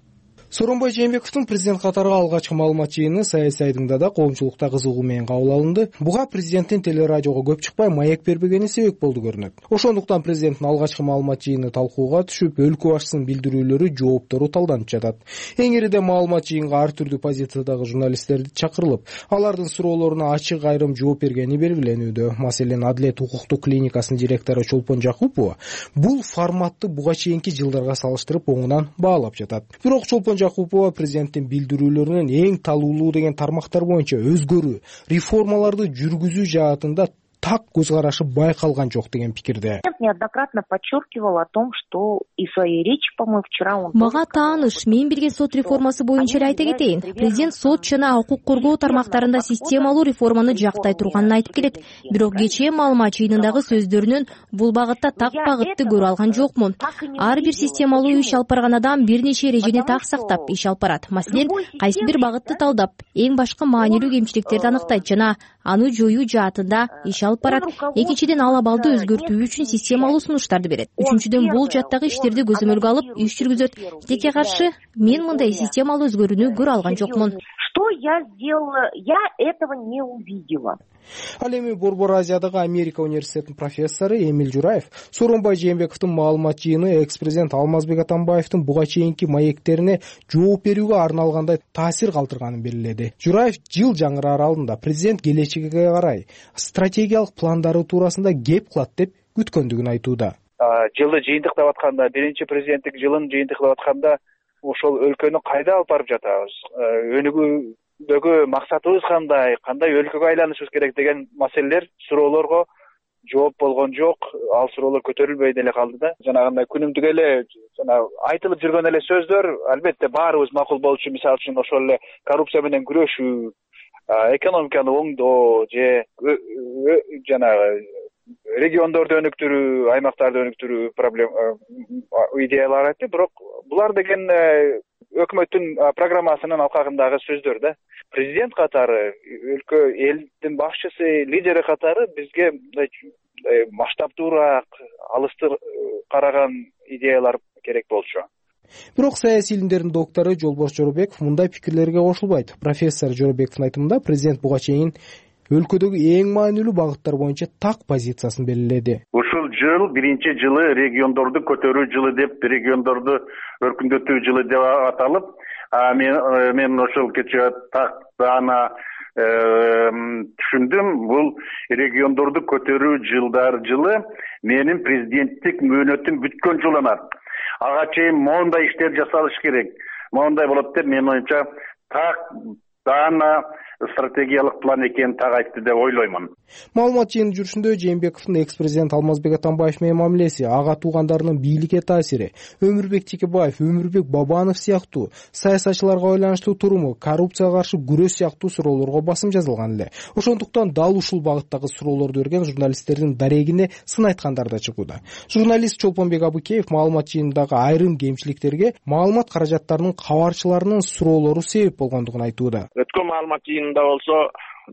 [SPEAKER 12] Сооронбай Жээнбековдун президент катарга алгачкы маалымат жыйыны саясий айдыңда да коомчулукта кызыгуу менен кабыл алынды. Буга президенттин телерадиого көп чыкпай маек бербегени себеп болду көрүнөт. Ошондуктан президенттин алгачкы маалымат жыйыны талкууга түшүп, өлкө башчысынын билдирүүлөрү, жооптору талданып жатат. Эң ириде маалымат жыйынга ар түрдүү позициядагы журналисттерди чакырылып, алардын суроолоруна ачык айрым жооп бергени белгиленүүдө. Маселен, Адилет укуктук клиникасынын директору Чолпон Жакупова бул форматты буга чейинки жылдарга салыштырып оңунан баалап жатат. Бирок Чолпон Жакупова президенттин билдирүүлөрүнүн эң талуулуу деген тармактар боюнча өзгөрүү, реформаларды жүргүзүү жаатында так көз карашы байкалган жок деген пикирде.
[SPEAKER 20] Неоднократно подчеркивал о том, что и в своей речи, по-моему, вчера он...
[SPEAKER 10] Мага тааныш, мен бирге сот реформасы боюнча эле айта кетейин. Президент сот жана укук коргоо тармактарында системалуу реформаны жактай турганын айтып келет. Бирок кечээ маалымат жыйынындагы сөздөрүнөн бул багытта так багытты көрө алган жокмун. Ар бир системалуу иш алып барган адам бир нече эрежени так сактап иш алып барат. Маселен, кайсы бир багытты талдап, эң башкы маанилүү кемчиликтерди аныктайт жана аны жоюу жаатында иш алып барат. Экинчиден, ал абалды өзгөртүү үчүн системалуу сунуштарды берет. Үчүнчүдөн, бул жаттагы иштерди көзөмөлгө алып иш жүргүзөт. Текке каршы, мен мындай системалуу өзгөрүүнү көрө алган жокмун.
[SPEAKER 20] Что я сделала? Я этого не увидела.
[SPEAKER 12] Ал эми Борбор Азиядагы Америка университетинин профессору Эмиль Жураев Сооронбай Жээнбековдун маалымат жыйыны экс-президент Алмазбек Атамбаевдин буга чейинки маектерине жооп берүүгө арналгандай таасир калтырганын белгиледи. Жураев жыл жаңыраа аралыгында президент келечекке карай стратегиялык пландары туурасында кеп кылат деп күткөндүгүн айтууда.
[SPEAKER 3] Жылды жыйынтыктап атканда, биринчи президенттик жылын жыйынтыктап атканда ошол өлкөнү кайда алып барып жатабыз? Өнүгүүдөгү максатыбыз кандай, кандай өлкөгө айланышыбыз керек деген маселелер, суроолорго жооп болгон жок. Ал суроолор көтөрүлбөй деле калды да. Жанагындай күнүмдүк эле жана айтылып жүргөн эле сөздөр, албетте баарыбыз макул болчу, мисалы үчүн ошол эле коррупция менен күрөшүү, экономиканы оңдоо же жанагы региондорду өнүктүрүү, аймактарды өнүктүрүү проблема идеялар айтты. Бирок булар деген өкмөттүн программасынын алкагындагы сөздөр да. Президент катары, өлкө элдин башчысы, лидери катары бизге масштабтуураак, алыстыр караган идеялар керек болчу.
[SPEAKER 12] Бирок саясий илимдердин доктору Жолбош Жоробеков мындай пикирлерге кошулбайт. Профессор Жоробековдун айтымында президент буга чейин өлкөдөгү эң маанилүү багыттар боюнча так позициясын белгиледи.
[SPEAKER 21] Ушул жыл биринчи жылы региондорду көтөрүү жылы деп, региондорду өркүндөтүү жылы деп аталып, мен мен ошол кечээ так ана түшүндүм. Бул региондорду көтөрүү жылдар жылы менин президенттик мөөнөтүм бүткөн жыл эмес. Ага чейин моундай иштер жасалыш керек. Моундай болот деп мен оюмча так даана стратегиялык план экенин так айтты деп ойлоймун.
[SPEAKER 12] Маалымат жыйыны жүрүшүндө Жээнбековдун экс-президент Алмазбек Атамбаев менен мамилеси, ага туугандарынын бийликке таасири, Өмүрбек Текебаев, Өмүрбек Бабанов сыяктуу саясатчыларга байланыштуу туруму, коррупцияга каршы күрөш сыяктуу суроолорго басым жазылган эле. Ошондуктан дал ушул багыттагы суроолорду берген журналисттердин дарегине сын айткандар да чыгууда. Журналист Чолпонбек Абыкеев маалымат жыйынындагы айрым кемчиликтерге маалымат каражаттарынын кабарчыларынын суроолору себеп болгондугун айтууда.
[SPEAKER 22] Өткөн маалымат жыйынында болсо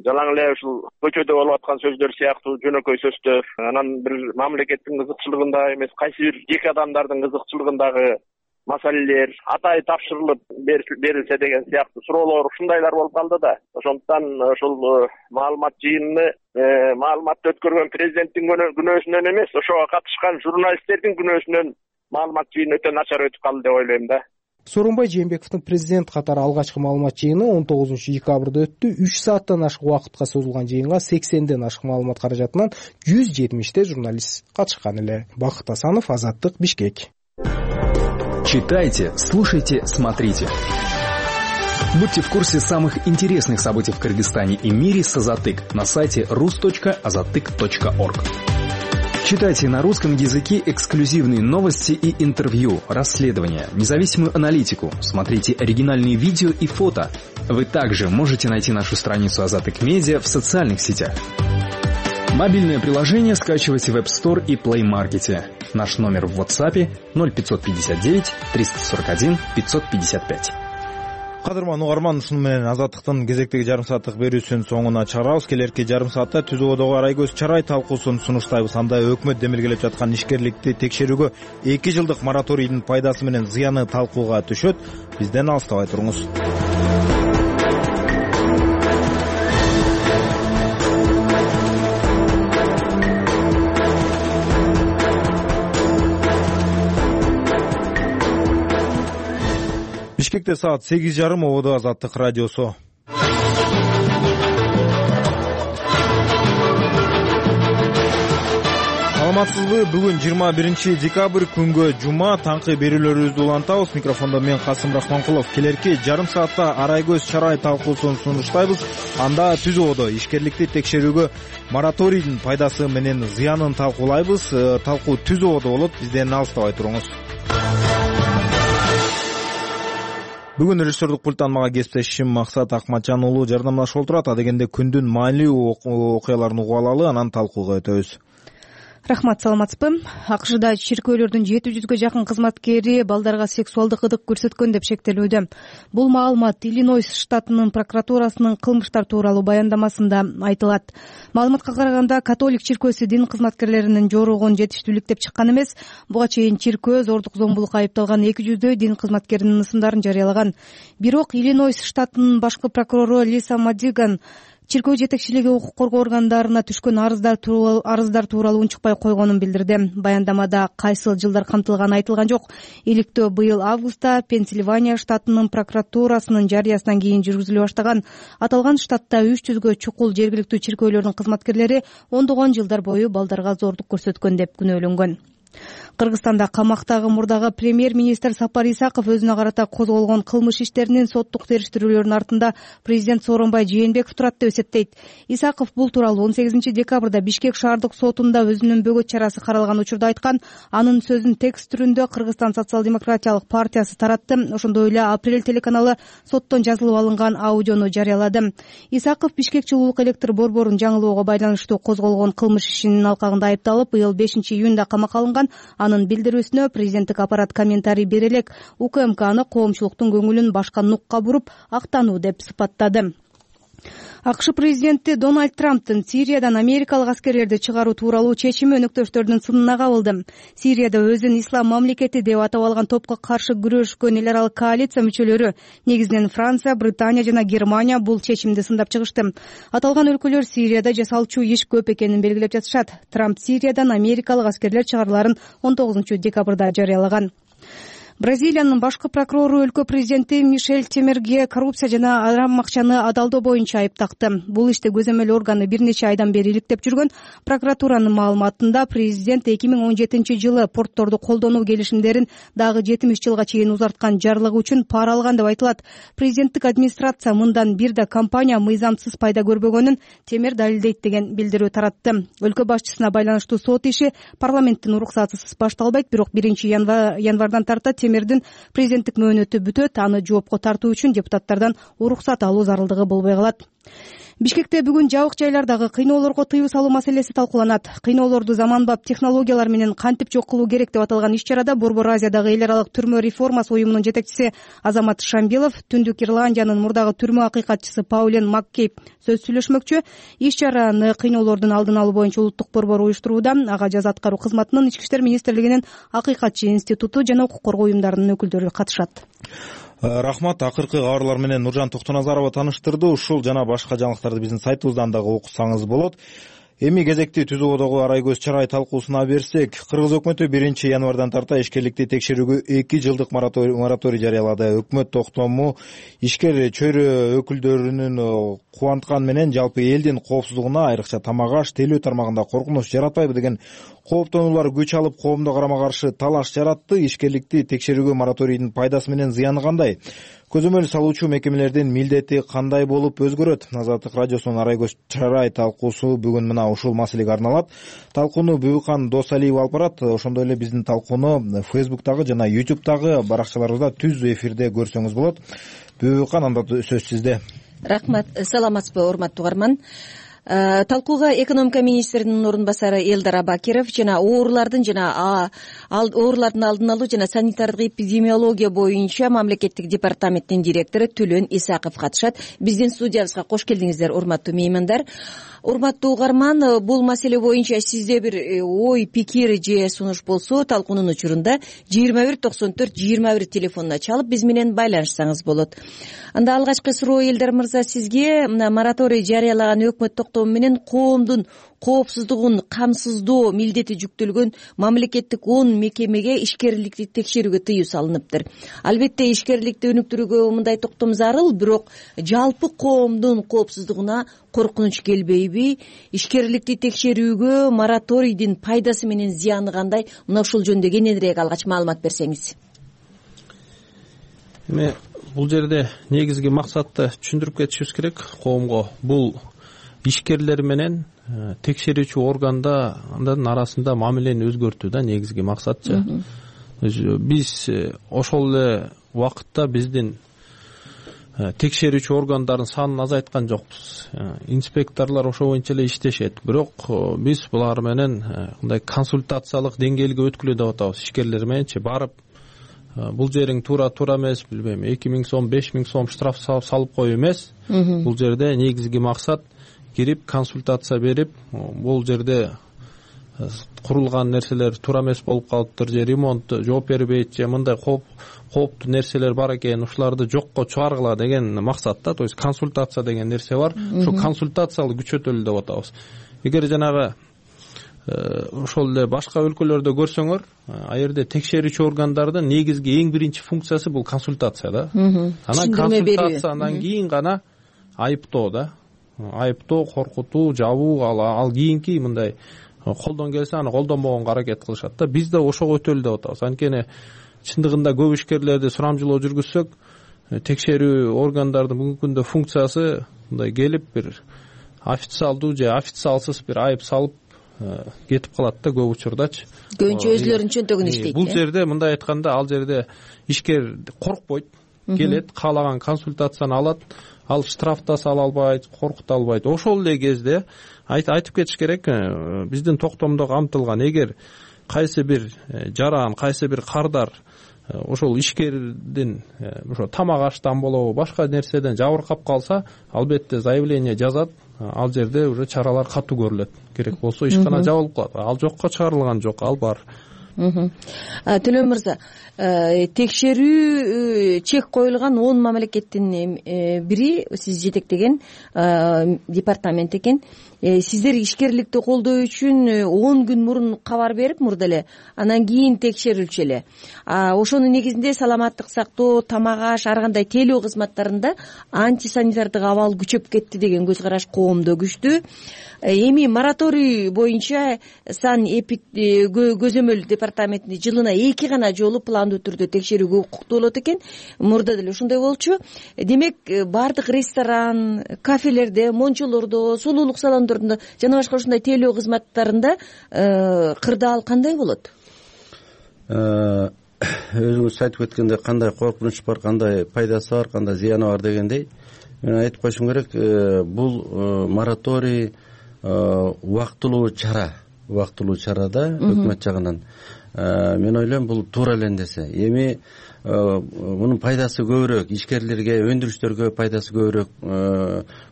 [SPEAKER 22] жалаң эле ушул көчөдө болуп аткан сөздөр сыяктуу жөнөкөй сөздөр, анан бир мамлекеттин кызыкчылыгында эмес, кайсы бир жеке адамдардын кызыкчылыгындагы маселелер атайы тапшырылып берилсе деген сыяктуу суроолор, ушундайлар болуп калды да. Ошондуктан ошол маалымат жыйынын маалыматты өткөргөн президенттин күнөөсүнөн эмес, ошого катышкан журналисттердин күнөөсүнөн маалымат жыйыны өтө начар өтүп калды деп ойлойм да.
[SPEAKER 12] Сооронбай Жээнбековдун президент катары алгачкы маалымат жыйыны он тогузунчу декабрда өттү. үч сааттан ашык убакытка созулган жыйынга сексенден ашык маалымат каражатынан жүз жетимиште журналист катышкан эле. Бакыт Асанов, Азаттык, Бишкек.
[SPEAKER 23] Читайте, слушайте, смотрите. Будьте в курсе самых интересных событий в Кыргызстане и мире с Азаттык на сайте рус точка азаттык точка орг. Читайте на русском языке эксклюзивные новости и интервью, расследования, независимую аналитику. Смотрите оригинальные видео и фото. Вы также можете найти нашу страницу Азатык Медиа в социальных сетях. Мобильное приложение скачивайте в App Store и Play Market. Наш номер в WhatsApp ноль пятьсот пятьдесят девять триста сорок один пятьсот пятьдесят пять.
[SPEAKER 1] Кадырман угарман, ушуну менен Азаттыктын кезектеги жарым сааттык берүүсүнүн соңуна чыгарабыз. Келерки жарым саатта түзүүдөгү арай көз чарай талкуусун сунуштайбыз. Анда өкмөт демилгелеп жаткан ишкерликти текшерүүгө эки жылдык мораторийдин пайдасы менен зыяны талкууга түшөт. Бизден алыстабай туруңуз. Бишкекте саат сегиз жарым, ободо Азаттык радиосу. Саламатсызбы? Бүгүн жыйырма биринчи декабрь, күнгө жума, таңкы берүүлөрүбүздү улантабыз. Микрофондо мен Касым Рахманкулов. Келерки жарым саатта арай көз чарай талкуусун сунуштайбыз. Анда түзүүдө ишкерликти текшерүүгө мораторийдин пайдасы менен зыянын талкуулайбыз. Талкуу түзүүдө болот. Бизден алыстабай туруңуз. Бүгүн режиссердук пульттан мага кесиптешим Максат Акматжан уулу жардамдашып отурат. Адегенде күндүн маанилүү окуяларын угуп алалы, анан талкууга өтөбүз.
[SPEAKER 4] Рахмат, саламатсызбы? АКШда чиркөөлөрдүн жети жүзгө жакын кызматкери балдарга сексуалдык ыдык көрсөткөн деп шектелүүдө. Бул маалымат Иллинойс штатынын прокуратурасынын кылмыштар тууралуу баяндамасында айтылат. Маалыматка караганда, католик чиркөөсү дин кызматкерлеринин жоругун жетиштүүлүктөп чыккан эмес. Буга чейин чиркөө зордук зомбулукка айыпталган эки жүздөй дин кызматкеринин ысымдарын жарыялаган. Бирок Иллинойс штатынын башкы прокурору Лиса Мадиган чиркөө жетекчилиги укук коргоо органдарына түшкөн арыздар тууралуу арыздар тууралуу унчукпай койгонун билдирди. Баяндамада кайсыл жылдар камтылганы айтылган жок. Иликтөө быйыл августта Пенсильвания штатынын прокуратурасынын жарыясынан кийин жүргүзүлө баштаган. Аталган штатта үч жүзгө чукул жергиликтүү чиркөөлөрдүн кызматкерлери ондогон жылдар бою балдарга зордук көрсөткөн деп күнөөлөнгөн. Кыргызстанда камактагы мурдагы премьер-министр Сапар Исаков өзүнө карата козголгон кылмыш иштеринин соттук териштирүүлөрүнүн артында президент Сооронбай Жээнбеков турат деп эсептейт. Исаков бул тууралуу он сегизинчи декабрда Бишкек шаардык сотунда өзүнүн бөгөт чарасы каралган учурда айткан. Анын сөзүн текст түрүндө Кыргызстан социал-демократиялык партиясы таратты. Ошондой эле Апрель телеканалы соттон жазылып алынган аудиону жарыялады. Исаков Бишкек жылуулук электр борборун жаңылоого байланыштуу козголгон кылмыш ишинин алкагында айыпталып, быйыл бешинчи июнда камакка алынган. Анын билдирүүсүнө президенттик аппарат комментарий бере элек УКМК аны коомчулуктун көңүлүн башка нукка буруп актануу деп сыпаттады. АКШ президенти Дональд Трамптын Сириядан америкалык аскерлерди чыгаруу тууралуу чечими өнөктөштөрдүн сынына кабылды. Сирияда өзүн ислам мамлекети деп атап алган топко каршы күрөшкөн эл аралык коалиция мүчөлөрү, негизинен Франция, Британия жана Германия бул чечимди сындап чыгышты. Аталган өлкөлөр Сирияда жасалчу иш көп экенин белгилеп жатышат. Трамп Сириядан америкалык аскерлер чыгарыларын он тогузунчу декабрда жарыялаган. Бразилиянын башкы прокурору өлкө президенти Мишель Темерге коррупция жана арам акчаны адалдоо боюнча айыптакты. Бул иште көзөмөл органы бир нече айдан бери иликтеп жүргөн. Прокуратуранын маалыматында президент эки миң он жетинчи жылы портторду колдонуу келишимдерин дагы жетимиш жылга чейин узарткан жарлыгы үчүн пара алган деп айтылат. Президенттик администрация мындан бир да компания мыйзамсыз пайда көрбөгөнүн Темер далилдейт деген билдирүү таратты. Өлкө башчысына байланыштуу сот иши парламенттин уруксатысыз башталбайт, бирок биринчи январдан тарта Темердин президенттик мөөнөтү бүтөт. Аны жоопко тартуу үчүн депутаттардан уруксат алуу зарылдыгы болбой калат. Бишкекте бүгүн жабык жайлардагы кыйноолорго тыюу салуу маселеси талкууланат. Кыйноолорду заманбап технологиялар менен кантип жок кылуу керек деп аталган иш чарада Борбор Азиядагы эл аралык түрмө реформасы уюмунун жетекчиси Азамат Шамбилов, Түндүк Ирландиянын мурдагы түрмө акыйкатчысы Паулен Маккейп сөз сүйлөшмөкчү. Иш чараны кыйноолордун алдын алуу боюнча улуттук борбор уюштурууда. Ага жаза аткаруу кызматынын, Ички иштер министрлигинин акыйкатчы институту жана укук коргоо уюмдарынын өкүлдөрү катышат.
[SPEAKER 1] Рахмат. Акыркы кабарлар менен Нуржан Токтоназарова тааныштырды. Ушул жана башка жаңылыктарды биздин сайтыбыздан дагы окусаңыз болот. Эми кезекти түзүүдөгү арай көз чарай талкуусуна берсек, Кыргыз өкмөтү биринчи январдан тарта ишкерликти текшерүүгө эки жылдык мораторий жарыялады. Өкмөт токтому ишкер чөйрө өкүлдөрүнүн кубантканы менен жалпы элдин коопсуздугуна, айрыкча тамак аш, тейлөө тармагында коркунуч жаратпайбы деген кооптонуулар күч алып, коомдо карама каршы талаш жаратты. Ишкерликти текшерүүгө мораторийдин пайдасы менен зыяны кандай? көзөмөл салуучу мекемелердин милдети кандай болуп өзгөрөт? Азаттык радиосунун Арай көз чарай талкуусу бүгүн мына ушул маселеге арналат. Талкууну Бүбүкан Досалиев алып барат. Ошондой эле биздин талкууну Фейсбуктагы жана ютубтагы баракчаларыбызда түз эфирде көрсөңүз болот. Бүбүкан, анда сөз сизде.
[SPEAKER 2] Рахмат. Саламатсызбы, урматтуу угарман? Талкууга экономика министринин орун басары Элдар Абакиров жана оорулардын жана оорулардын алдын алуу жана санитардык эпидемиология боюнча мамлекеттик департаменттин директору Төлөн Исаков катышат. Биздин студиябызга кош келдиңиздер, урматтуу меймандар. Урматтуу угарман, бул маселе боюнча сизде бир ой, пикир же сунуш болсо, талкуунун учурунда жыйырма бир токсон төрт жыйырма бир телефонуна чалып биз менен байланышсаңыз болот. Анда алгачкы суроо, Элдар мырза, сизге мына мораторий жарыялаган өкмөт токтому менен коомдун коопсуздугун камсыздоо милдети жүктөлгөн мамлекеттик он мекемеге ишкерликти текшерүүгө тыюу салыныптыр. Албетте ишкерликти өнүктүрүүгө мындай токтом зарыл, бирок жалпы коомдун коопсуздугуна коркунуч келбейби? Ишкерликти текшерүүгө мораторийдин пайдасы менен зыяны кандай? Мына ушул жөнүндө кененирээк алгач маалымат берсеңиз.
[SPEAKER 5] Эми бул жерде негизги максатты түшүндүрүп кетишибиз керек коомго. Бул ишкерлер менен текшерүүчү органдардын арасында мамилени өзгөртүү да негизги максатчы. Биз ошол эле убакытта биздин текшерүүчү органдардын санын азайткан жокпуз. Инспекторлор ошо боюнча эле иштешет. Бирок биз булар менен мындай консультациялык деңгээлге өткүлө деп атабыз. Ишкерлер мененчи барып, бул жериң туура туура эмес, билбейм, эки миң сом, беш миң сом штраф салып коюу эмес. Бул жерде негизги максат кирип консультация берип, бул жерде курулган нерселер туура эмес болуп калыптыр, же ремонт жооп бербейт, же мындай кооптуу нерселер бар экен, ушуларды жокко чыгаргыла деген максатта, то есть консультация деген нерсе бар. Ошо консультациялы күчөтөлү деп атабыз. Эгер жанагы ошол эле башка өлкөлөрдө көрсөңөр, а жерде текшерүүчү органдардын негизги эң биринчи функциясы бул консультация да. Анан консультациядан кийин гана айыптоо да. Айыптоо, коркутуу, жабуу, ал ал кийинки мындай колдон келсе аны колдонбогонго аракет кылышат да. Биз да ошого өтөлү деп атабыз. Анткени чындыгында көп ишкерлерди сурамжылоо жүргүзсөк, текшерүү органдардын бүгүнкү күндө функциясы мындай келип бир официалдуу же официалсыз бир айып салып кетип калат да көп учурдачы.
[SPEAKER 2] Көбүнчө өзүлөрүнүн чөнтөгүн иштейт.
[SPEAKER 5] Бул жерде мындай айтканда, ал жерде ишкер коркпойт, келет, каалаган консультацияны алат, ал штраф да сала албайт, коркута албайт. Ошол эле кезде айтып кетиш керек, биздин токтомдо камтылган, эгер кайсы бир жаран, кайсы бир кардар ошол ишкердин ошо тамак аштан болобу, башка нерседен жабыркап калса, албетте заявление жазат, ал жерде уже чаралар катуу көрүлөт. Керек болсо ишкана жабылып калат. Ал жокко чыгарылган жок, ал бар.
[SPEAKER 2] Төлөн мырза, текшерүү чек коюлган он мамлекеттин бири сиз жетектеген департамент экен. Сиздер ишкерликти колдоо үчүн он күн мурун кабар берип, мурда эле анан кийин текшерилчү эле. Ошонун негизинде саламаттык сактоо, тамак аш, ар кандай тейлөө кызматтарында антисанитардык абал күчөп кетти деген көз караш коомдо күчтүү. Эми мораторий боюнча сан көзөмөл департаментинде жылына эки гана жолу пландуу түрдө текшерүүгө укуктуу болот экен. Мурда деле ошондой болчу. Демек, бардык ресторан, кафелерде, мончолордо, сулуулук салондорунда жана башка ушундай тейлөө кызматтарында кырдаал кандай болот?
[SPEAKER 7] Өзүңүз айтып кеткендей, кандай коркунуч бар, кандай пайдасы бар, кандай зыяны бар дегендей, мен айтып коюшум керек, бул мораторий убактылуу чара, убактылуу чара да өкмөт жагынан. Мен ойлойм, бул туура эле нерсе. Эми мунун пайдасы көбүрөөк, ишкерлерге, өндүрүштөргө пайдасы көбүрөөк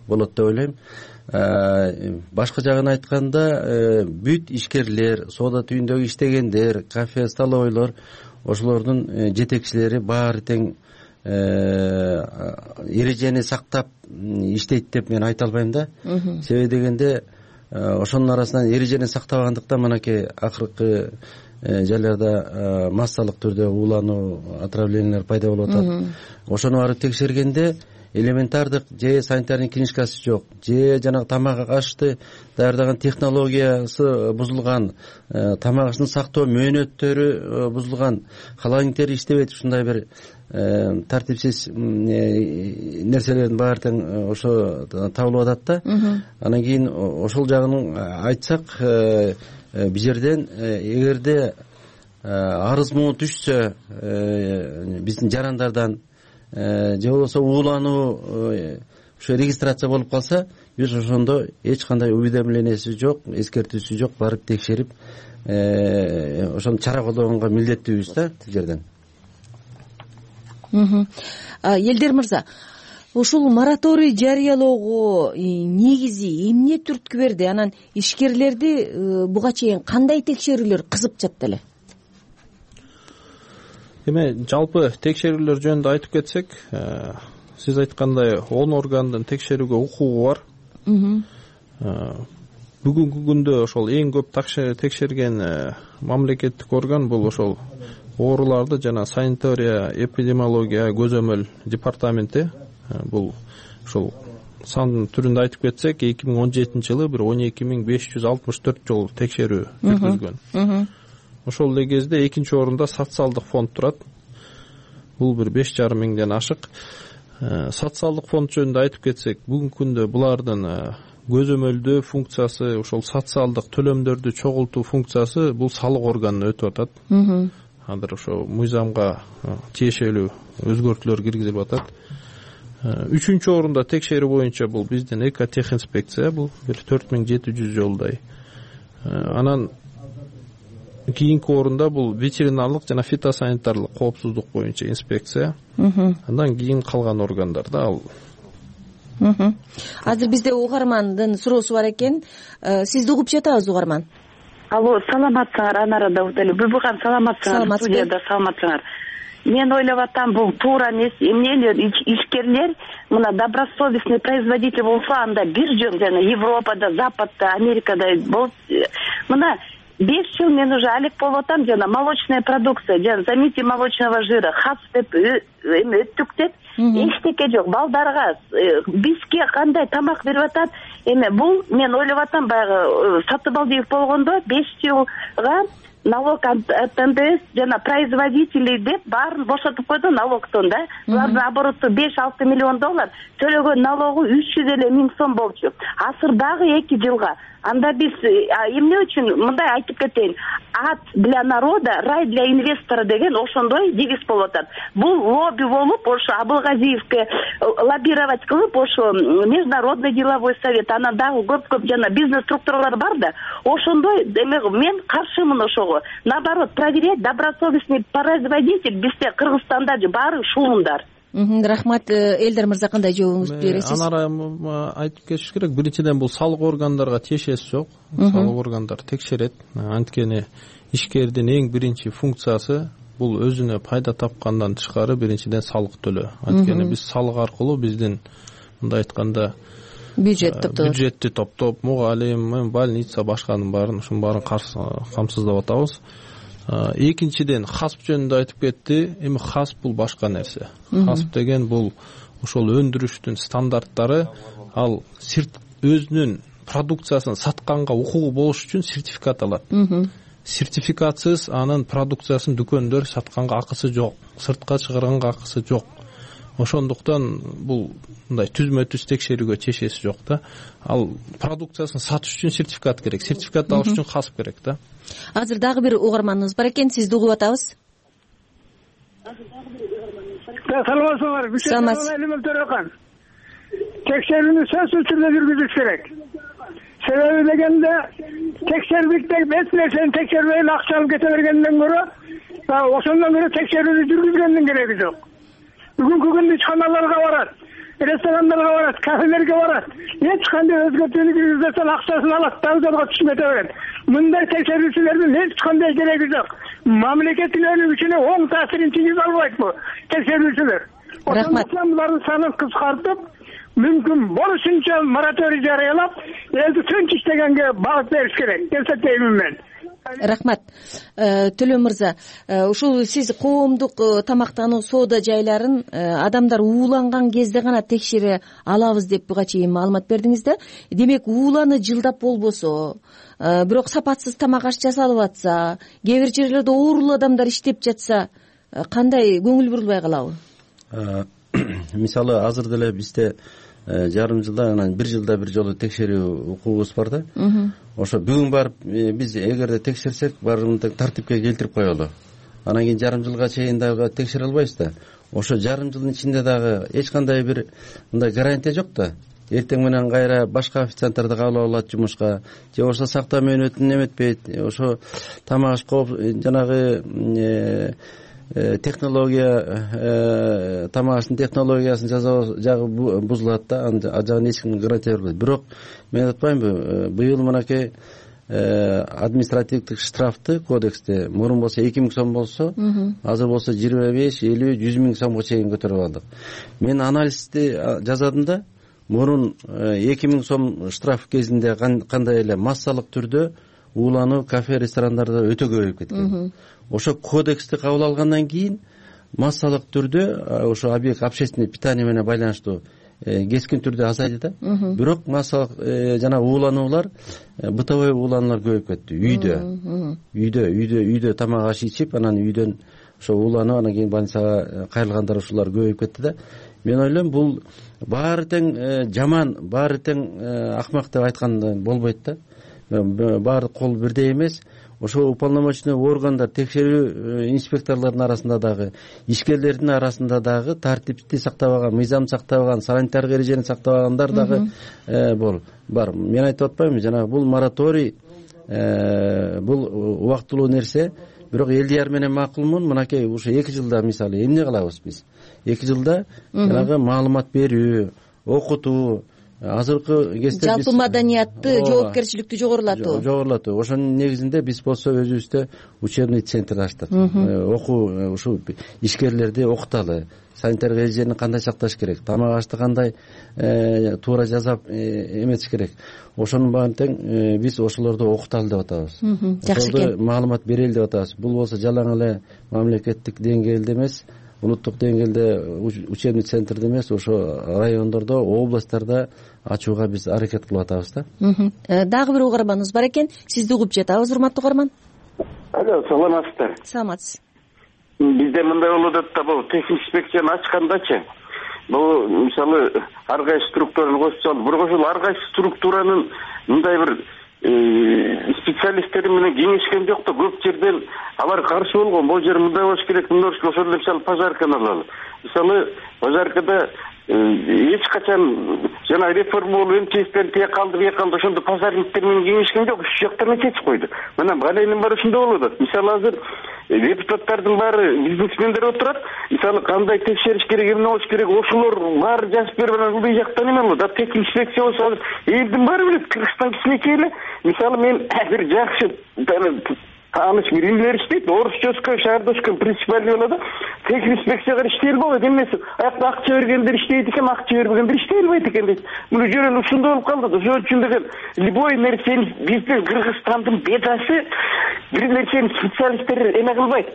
[SPEAKER 7] болот деп ойлойм. Башка жагын айтканда, бүт ишкерлер, соода түйүндөгү иштегендер, кафе, столовойлор, ошолордун жетекчилери баары тең эрежени сактап иштейт деп мен айта албайм да. Себеби дегенде, ошонун арасынан эрежени сактабагандыктан мынакей акыркы жайларда массалык түрдө уулануу, отравлениялар пайда болуп атат. Ошону барып текшергенде элементардык же санитарный книжкасы жок, же жанагы тамак ашты даярдаган технологиясы бузулган, тамак аштын сактоо мөөнөттөрү бузулган, холодильниктер иштебейт, ушундай бир тартипсиз нерселердин баары тең ошо табылып атат да. Анан кийин ошол жагын айтсак, бул жерден эгерде арыз муу түшсө биздин жарандардан же болбосо уулануу ошо регистрация болуп калса, биз ошондо эч кандай уведомленияси жок, эскертүүсү жок, барып текшерип ошону чара колдогонго милдеттүүбүз да бул жерден.
[SPEAKER 2] Элдер мырза, ушул мораторий жарыялоого негизи эмне түрткү берди? Анан ишкерлерди буга чейин кандай текшерүүлөр кызып жатты эле?
[SPEAKER 5] Эме жалпы текшерүүлөр жөнүндө айтып кетсек, сиз айткандай он органдын текшерүүгө укугу бар. Бүгүнкү күндө ошол эң көп текшерген мамлекеттик орган бул ошол ооруларды жана санитария, эпидемиология, көзөмөл департаменти. Бул ошол сандын түрүндө айтып кетсек, эки миң он жетинчи жылы бир он эки миң беш жүз алтымыш төрт жолу текшерүү жүргүзгөн. Ошол эле кезде экинчи орунда социалдык фонд турат. Бул бир беш жарым миңден ашык. Социалдык фонд жөнүндө айтып кетсек, бүгүнкү күндө булардын көзөмөлдөө функциясы, ошол социалдык төлөмдөрдү чогултуу функциясы бул салык органына өтүп атат. Азыр ошо мыйзамга тиешелүү өзгөртүүлөр киргизилип атат. Үчүнчү орунда текшерүү боюнча бул биздин экотехинспекция, бул бир төрт миң жети жүз жолдай. Анан кийинки орунда бул ветеринарлык жана фитосанитарлык коопсуздук боюнча инспекция. Андан кийин калган органдар да ал.
[SPEAKER 2] Азыр бизде угармандын суроосу бар экен. Сизди угуп жатабыз, угарман.
[SPEAKER 8] Алло, саламатсыңар, Анара Даутали. Буйбуган саламатсыңар, студияда саламатсыңар. Мен ойлоп атам, бул туура эмес. Эмнелер ишкерлер мына добросовестный производитель болсо, анда бир жөн жана Европада, Западта, Америкада болуп, мына беш жыл мен уже алек болуп атам, жана молочная продукция, жана заменитель молочного жира, хас деп эме өттүк деп эчтеке жок. Балдарга, бизге кандай тамак берип атат? Эме бул мен ойлоп атам, баягы Сатыбалдиев болгондо беш жылга налог от эн дэ эс жана производителей деп баарын бошотуп койду налогтон да. Булардын обороту беш алты миллион доллар, төлөгөн налогу үч жүз элүү миң сом болчу. Азыр дагы эки жылга. Анда биз эмне үчүн мындай айтып кетейин? Ад для народа, рай для инвестора деген ошондой девиз болуп атат. Бул лобби болуп, ошо Абылгазиевке лоббировать кылып, ошо Международный деловой совет, анан дагы көп-көп жана бизнес структуралар бар да. Ошондой мен каршымын ошого. Наоборот, проверять добросовестный производитель бизде Кыргызстанда баары шуундар.
[SPEAKER 2] Рахмат. Элдер мырза, кандай жообуңузду бересиз?
[SPEAKER 5] Анара айтып кетиш керек. Биринчиден бул салык органдарга тиешеси жок. Салык органдар текшерет. Анткени ишкердин эң биринчи функциясы бул өзүнө пайда тапкандан тышкары биринчиден салык төлөө. Анткени биз салык аркылуу биздин мындай айтканда
[SPEAKER 2] бюджет топтоп
[SPEAKER 5] бюджетти топтоп, мугалим, больница башканын баарын ушунун баарын камсыздап атабыз. Экинчиден хасп жөнүндө айтып кетти. Эми хасп бул башка нерсе. Хасп деген бул ошол өндүрүштүн стандарттары, ал өзүнүн продукциясын сатканга укугу болуш үчүн сертификат алат. Сертификатсыз анын продукциясын дүкөндөр сатканга акысы жок, сыртка чыгарганга акысы жок. Ошондуктан бул мындай түзмө түз текшерүүгө чечеси жок да. Ал продукциясын сатыш үчүн сертификат керек. Сертификат алыш үчүн хасп керек да.
[SPEAKER 2] Азыр дагы бир угарманыбыз бар экен, сизди угуп атабыз.
[SPEAKER 9] Саламатсыңар, Саламат Төрөкан. Текшерүүнү сөзсүз түрдө жүргүзүш керек. Себеби дегенде текшербикте эч нерсени текшербей акча алып кете бергенден көрө, ошондон көрө текшерүүнү жүргүзгөндүн кереги жок. Бүгүнкү күндө ичканаларга барат, ресторандарга барат, кафелерге барат. Эч кандай өзгөртүүнү киргизбестен акчасын алат, дагы жолго түшүп кете берет. Мындай текшерүүчүлөрдүн эч кандай кереги жок. Мамлекеттин өнүгүшүнө оң таасирин тийгизе албайт бул текшерүүчүлөр.
[SPEAKER 2] Рахмат.
[SPEAKER 9] Булардын санын кыскартып, мүмкүн болушунча мораторий жарыялап, элди тынч иштегенге багыт бериш керек. Эсептеймин мен.
[SPEAKER 2] Рахмат. Төлөм мырза, ушул сиз коомдук тамактануу соода жайларын адамдар ууланган кезде гана текшере алабыз деп буга чейин маалымат бердиңиз да. Демек, ууланы жылдап болбосо, бирок сапатсыз тамак аш жасалып атса, кээ бир жерлерде оорулуу адамдар иштеп жатса, кандай көңүл бурулбай калабы?
[SPEAKER 7] Мисалы азыр деле бизде жарым жылда анан бир жылда бир жолу текшерүү укугубуз бар да. Ошо бүгүн барып биз эгерде текшерсек баарын тартипке келтирип коелу. Анан кийин жарым жылга чейин дагы текшере албайбыз да. Ошо жарым жылдын ичинде дагы эч кандай бир мындай гарантия жок да. Эртең менен кайра башка официанттарды кабыл алат жумушка, же болбосо сактоо мөөнөтүн эметпейт, ошо тамак аш кооп жанагы технология тамак аштын технологиясын жагы бузулат да, ал жагын эч ким гарантия бербейт. Бирок мен айтпаймынбы, быйыл мынакей административдик штрафты кодексте мурун болсо эки миң сом болсо, азыр болсо жыйырма беш, элүү, жүз миң сомго чейин көтөрүп алдык. Мен анализди жазадым да, мурун эки миң сом штраф кезинде кандай эле массалык түрдө уулануу кафе ресторандарда өтө көбөйүп кеткен. Ошо кодексти кабыл алгандан кийин массалык түрдө ошо объект общественный питание менен байланыштуу кескин түрдө азайды да. Бирок массалык жана уулануулар, бытовой уулануулар көбөйүп кетти. Үйдө, үйдө, үйдө, үйдө тамак аш ичип, анан үйдөн ошо ууланып, анан кийин больницага кайрылгандар ушулар көбөйүп кетти да. Мен ойлойм, бул баары тең жаман, баары тең акмак деп айтканда болбойт да. Баары кол бирдей эмес. Ошо уполномоченный органдар, текшерүү инспекторлордун арасында дагы, ишкерлердин арасында дагы тартипти сактабаган, мыйзам сактабаган, санитардык эрежени сактабагандар дагы бар. Мен айтып атпаймынбы, жанагы бул мораторий, бул убактылуу нерсе, бирок элдияр менен макулмун. Мынакей ушу эки жылда мисалы эмне кылабыз биз? эки жылда жанагы маалымат берүү, окутуу, азыркы кезде
[SPEAKER 2] жалпы маданиятты, жоопкерчиликти жогорулатуу.
[SPEAKER 7] Жогорулатуу. Ошонун негизинде биз болсо өзүбүздө учебный центр ачтык. Окуу, ушу ишкерлерди окуталы, санитардык эрежени кандай сакташ керек, тамак ашты кандай туура жасап эметиш керек. Ошонун баарын тең биз ошолорду окуталы деп атабыз.
[SPEAKER 2] Жакшы экен.
[SPEAKER 7] Маалымат берели деп атабыз. Бул болсо жалаң эле мамлекеттик деңгээлде эмес, улуттук деңгээлде учебный центрде эмес, ошо райондордо, областтарда ачууга биз аракет кылып атабыз да.
[SPEAKER 2] Дагы бир угарманыбыз бар экен. Сизди угуп жатабыз, урматтуу угарман.
[SPEAKER 6] Алло, саламатсыздар?
[SPEAKER 2] Саламатсыз.
[SPEAKER 6] Бизде мындай болуп атат да, бул тех инспекцияны ачкандачы, бул мисалы ар кайсы структураны кошуп салып, бирок ошол ар кайсы структуранын мындай бир специалисттери менен кеңешкен жок да. Көп жерден алар каршы болгон. Бул жер мындай болуш керек, мындай болуш керек. Ошол эле мисалы пожарканы алалы. Мисалы пожаркада эч качан жана реформа болуп МЧСтен тие калды, бие калды, ошондо пожарниктер менен кеңешкен жок. Үч жактарына чечип койду. Мына балайнын баары ушундай болуп атат. Мисалы азыр депутаттардын баары бизнесмендер отурат. Мисалы кандай текшериш керек, эмне болуш керек, ошолор баары жазып берип анан бул жактан эме болот. А тех инспекция болсо азыр элдин баары билет. Кыргызстан кичинекей эле. Мисалы мен бир жакшы тааныш бир инженер иштейт, орусчоскө, шаардошко принципиальный болот да. Тех инспекцияга иштей албайт эмеси. Аякта акча бергендер иштейт экен, акча бербегендер иштей албайт экен дейт. Муну жөн ушундай болуп калды. Ошон үчүн деген любой нерсени биздин Кыргызстандын бедасы, бир нерсени специалисттер эме кылбайт,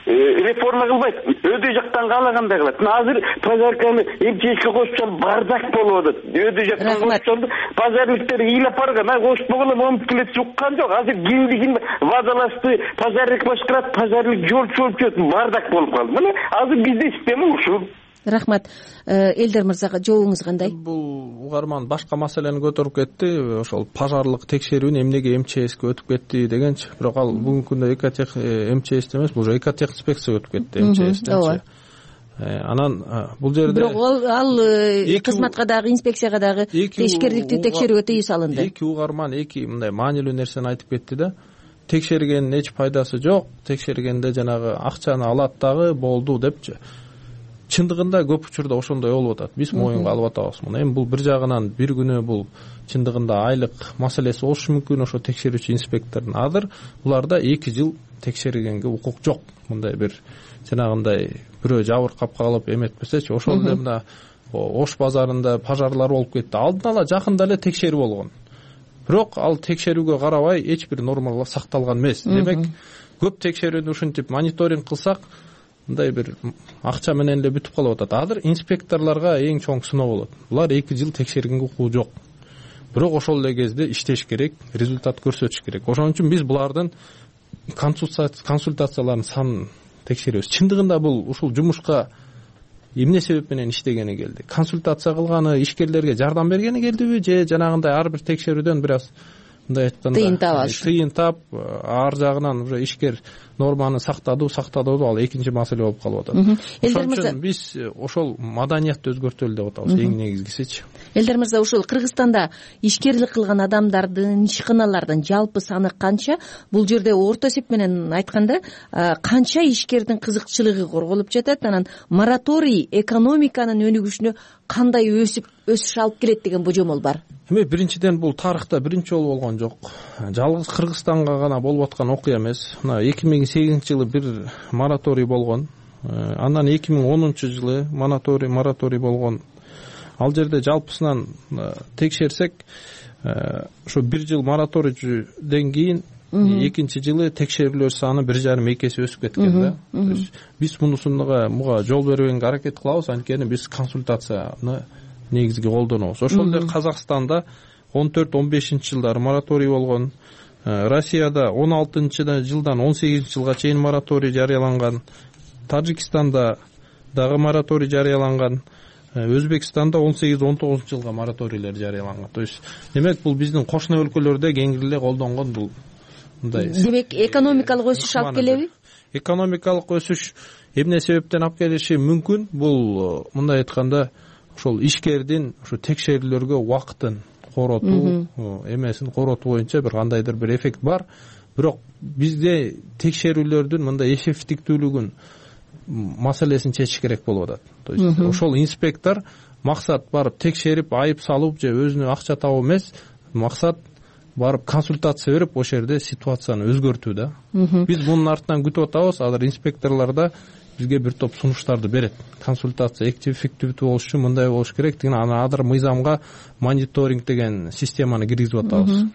[SPEAKER 6] реформа кылбайт, өйдө жактан каалагандай кылат. Мына азыр пожарканы МЧСке кошуп салып бардак болуп атат. Өйдө жактан кошуп салып пожарниктер ыйлап барган, а кошуп болгон момуп келет уккан жок. Азыр кимдигин водолазды пожарник башкарат, пожарник жол чөп чөп бардак болуп калды. Мына азыр бизде система ушул.
[SPEAKER 2] Рахмат. Элдер мырзага жообуңуз кандай?
[SPEAKER 5] Бул угарман башка маселени көтөрүп кетти. Ошол пожарлык текшерүүнү эмнеге МЧСке өтүп кетти дегенчи. Бирок ал бүгүнкү күндө Экотех МЧСте эмес, бул Экотех инспекция өтүп кетти МЧСтен. Анан бул жерде
[SPEAKER 2] бирок ал кызматка дагы, инспекцияга дагы тешкериликтүү текшерүүгө тыюу салынды.
[SPEAKER 5] Эки угарман эки мындай маанилүү нерсени айтып кетти да. Текшергендин эч пайдасы жок, текшергенде жанагы акчаны алат дагы болду депчи. Чындыгында көп учурда ошондой болуп атат. Биз моюнга алып атабыз муну. Эми бул бир жагынан бир күнү бул чындыгында айлык маселеси болушу мүмкүн ошо текшерүүчү инспектордун. Азыр буларда эки жыл текшергенге укук жок. Мындай бир жанагындай бирөө жабыркап калып эметпесечи, ошол эле мына Ош базарында пожарлар болуп кетти. Алдын ала жакында эле текшерүү болгон. Бирок ал текшерүүгө карабай эч бир нормалар сакталган эмес. Демек, көп текшерүүнү ушинтип мониторинг кылсак, мындай бир акча менен эле бүтүп калып атат. Азыр инспекторлорго эң чоң сыноо болот. Булар эки жыл текшергенге укугу жок. Бирок ошол эле кезде иштеш керек, результат көрсөтүш керек. Ошон үчүн биз булардын консультацияларын санын текшеребиз. Чындыгында бул ушул жумушка эмне себеп менен иштегени келди? Консультация кылганы, ишкерлерге жардам бергени келдиби, же жанагындай ар бир текшерүүдөн бир аз мындай айтканда
[SPEAKER 2] тыйын таап алыш
[SPEAKER 5] тыйын таап ар жагынан уже ишкер норманы сактады сактадыбы, ал экинчи маселе болуп калып атат.
[SPEAKER 2] Элдар мырза,
[SPEAKER 5] биз ошол маданиятты өзгөртөлү деп атабыз, эң негизгисичи.
[SPEAKER 2] Элдар мырза, ушул Кыргызстанда ишкерлик кылган адамдардын, ишканалардын жалпы саны канча? Бул жерде орто эсеп менен айтканда канча ишкердин кызыкчылыгы корголуп жатат? Анан мораторий экономиканын өнүгүшүнө кандай өсүп өсүш алып келет деген божомол бар?
[SPEAKER 5] Эми биринчиден бул тарыхта биринчи жолу болгон жок. Жалгыз Кыргызстанга гана болуп аткан окуя эмес. Мына эки миң сегизинчи жылы бир мораторий болгон. Андан эки миң онунчу жылы мораторий мораторий болгон. Ал жерде жалпысынан текшерсек, ошо бир жыл мораторийден кийин экинчи жылы текшерүүлөр саны бир жарым эки эсе өсүп кеткен да. То есть биз мунусунга муга жол бербегенге аракет кылабыз, анткени биз консультацияны негизги колдонобуз. Ошол эле Казакстанда он төрт он бешинчи жылдары мораторий болгон. Россияда он алтынчы жылдан он сегизинчи жылга чейин мораторий жарыяланган. Тажикстанда дагы мораторий жарыяланган. Өзбекстанда он сегиз он тогузунчу жылга мораторийлер жарыяланган. То есть демек бул биздин кошуна өлкөлөрдө кеңири эле колдонгон бул мындай.
[SPEAKER 2] Демек экономикалык өсүш алып келеби?
[SPEAKER 5] Экономикалык өсүш эмне себептен алып келиши мүмкүн? Бул мындай айтканда ошол ишкердин ошо текшерүүлөргө убактын коротуу, эмесин коротуу боюнча бир кандайдыр бир эффект бар. Бирок бизде текшерүүлөрдүн мындай эффективдүүлүгүн маселесин чечиш керек болуп атат. То есть ошол инспектор максат барып текшерип, айып салып же өзүнө акча табуу эмес, максат барып консультация берип ошол жерде ситуацияны өзгөртүү да. Биз мунун артынан күтүп атабыз, азыр инспекторлор да бизге бир топ сунуштарды берет. Консультация эффективдүү болуш үчүн мындай болуш керек деген анадыр мыйзамга мониторинг деген системаны киргизип атабыз.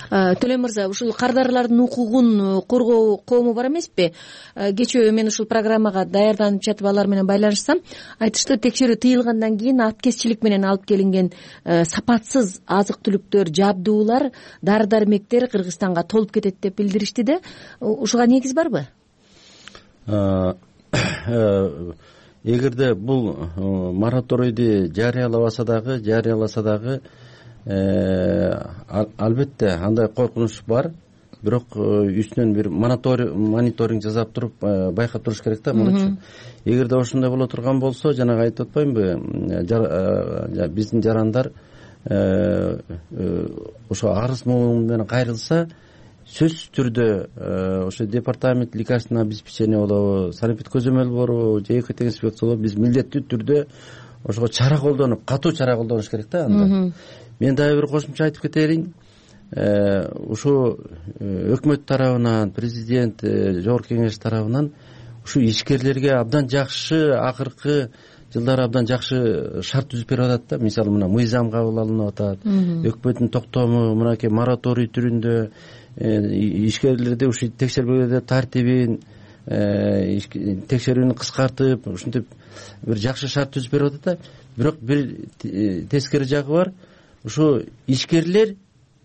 [SPEAKER 2] Төлөм мырза, ушул кардарлардын укугун коргоо коому бар эмеспи? Кечээ мен ушул программага даярданып жатып алар менен байланышсам, айтышты текшерүү тыйылгандан кийин аткезчилик менен алып келинген сапатсыз азык-түлүктөр, жабдуулар, дары-дармектер Кыргызстанга толуп кетет деп билдиришти да. Ушуга негиз барбы?
[SPEAKER 7] Эгерде бул мораторийди жарыялабаса дагы, жарыяласа дагы албетте андай коркунуч бар. Бирок үстүнөн бир мониторинг жасап туруп байкап туруш керек да мунучу. Эгерде ошондой боло турган болсо, жанагы айтып атпаймынбы, биздин жарандар ошо арыз менен кайрылса, сөзсүз түрдө ошо департамент лекарственного обеспечения болобу, санэпид көзөмөл борбу, же экотех инспекция болобу, биз милдеттүү түрдө ошого чара колдонуп, катуу чара колдонуш керек да анда. Мен дагы бир кошумча айтып кетерин. Ушу өкмөт тарабынан, президент, жогорку кеңеш тарабынан ушу ишкерлерге абдан жакшы, акыркы жылдары абдан жакшы шарт түзүп берип атат да. Мисалы мына мыйзам кабыл алынып атат. Өкмөттүн токтому мынакей мораторий түрүндө ишкерлерди ушу текшербегенде тартибин, текшерүүнү кыскартып, ушинтип бир жакшы шарт түзүп берип атат да. Бирок бир тескери жагы бар. Ушу ишкерлер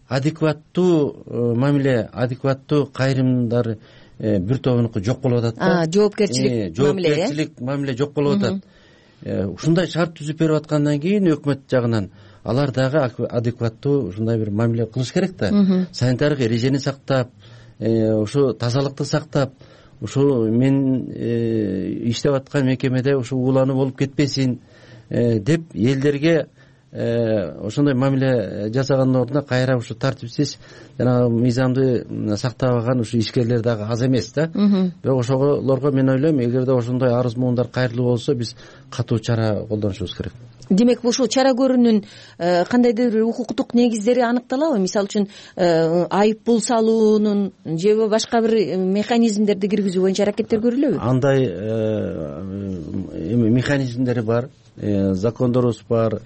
[SPEAKER 7] адекваттуу мамиле, адекваттуу кайрымдар бир тобунуку жок болуп атат да.
[SPEAKER 2] Жоопкерчилик мамиле,
[SPEAKER 7] жоопкерчилик мамиле жок болуп атат. Ушундай шарт түзүп берип аткандан кийин өкмөт жагынан алар дагы адекваттуу ушундай бир мамиле кылыш керек да. Санитардык эрежени сактап, ушу тазалыкты сактап, ушу мен иштеп аткан мекемеде ушу уулануу болуп кетпесин деп элдерге ошондой мамиле жасагандын ордуна кайра ушу тартипсиз жана мыйзамды сактабаган ушу ишкерлер дагы аз эмес да. Бирок ошолорго мен ойлойм, эгерде ошондой арыз муундар кайрылуу болсо, биз катуу чара колдонушубуз керек.
[SPEAKER 2] Демек ушул чара көрүүнүн кандайдыр бир укуктук негиздери аныкталабы? Мисалы үчүн айып пул салуунун же башка бир механизмдерди киргизүү боюнча аракеттер көрүлөбү?
[SPEAKER 7] Андай эми механизмдери бар, закондорубуз бар,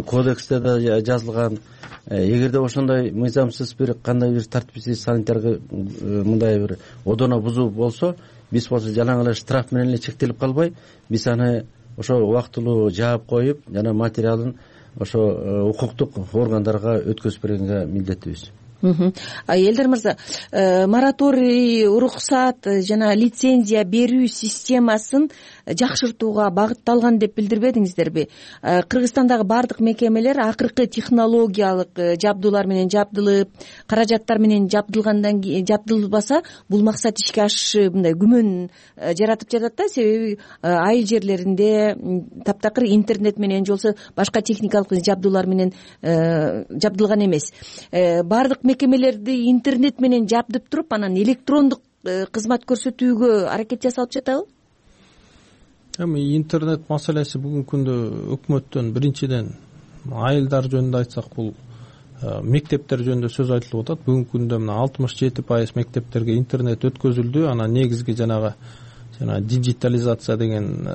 [SPEAKER 7] кодексте да жазылган. Эгерде ошондой мыйзамсыз бир кандай бир тартипсиз санитарга мындай бир одоно бузуу болсо, биз болсо жалаң эле штраф менен эле чектелип калбай, биз аны ошо убактылуу жаап коюп, жана материалын ошо укуктук органдарга өткөзүп бергенге милдеттүүбүз.
[SPEAKER 2] Элдар мырза, мораторий, уруксат жана лицензия берүү системасын жакшыртууга багытталган деп билдирбедиңиздерби? Кыргызстандагы баардык мекемелер акыркы технологиялык жабдуулар менен жабдылып, каражаттар менен жабдылгандан кийин жабдылбаса, бул максат ишке ашышы мындай күмөн жаратып жатат да. Себеби айыл жерлеринде таптакыр интернет менен же болбосо башка техникалык жабдуулар менен жабдылган эмес. Баардык мекемелерди интернет менен жабдып туруп, анан электрондук кызмат көрсөтүүгө аракет жасалып жатабы?
[SPEAKER 5] Эми интернет маселеси бүгүнкү күндө өкмөттөн биринчиден айылдар жөнүндө айтсак, бул мектептер жөнүндө сөз айтылып атат. Бүгүнкү күндө мына алтымыш жети пайыз мектептерге интернет өткөзүлдү. Анан негизги жанагы жана дижитализация деген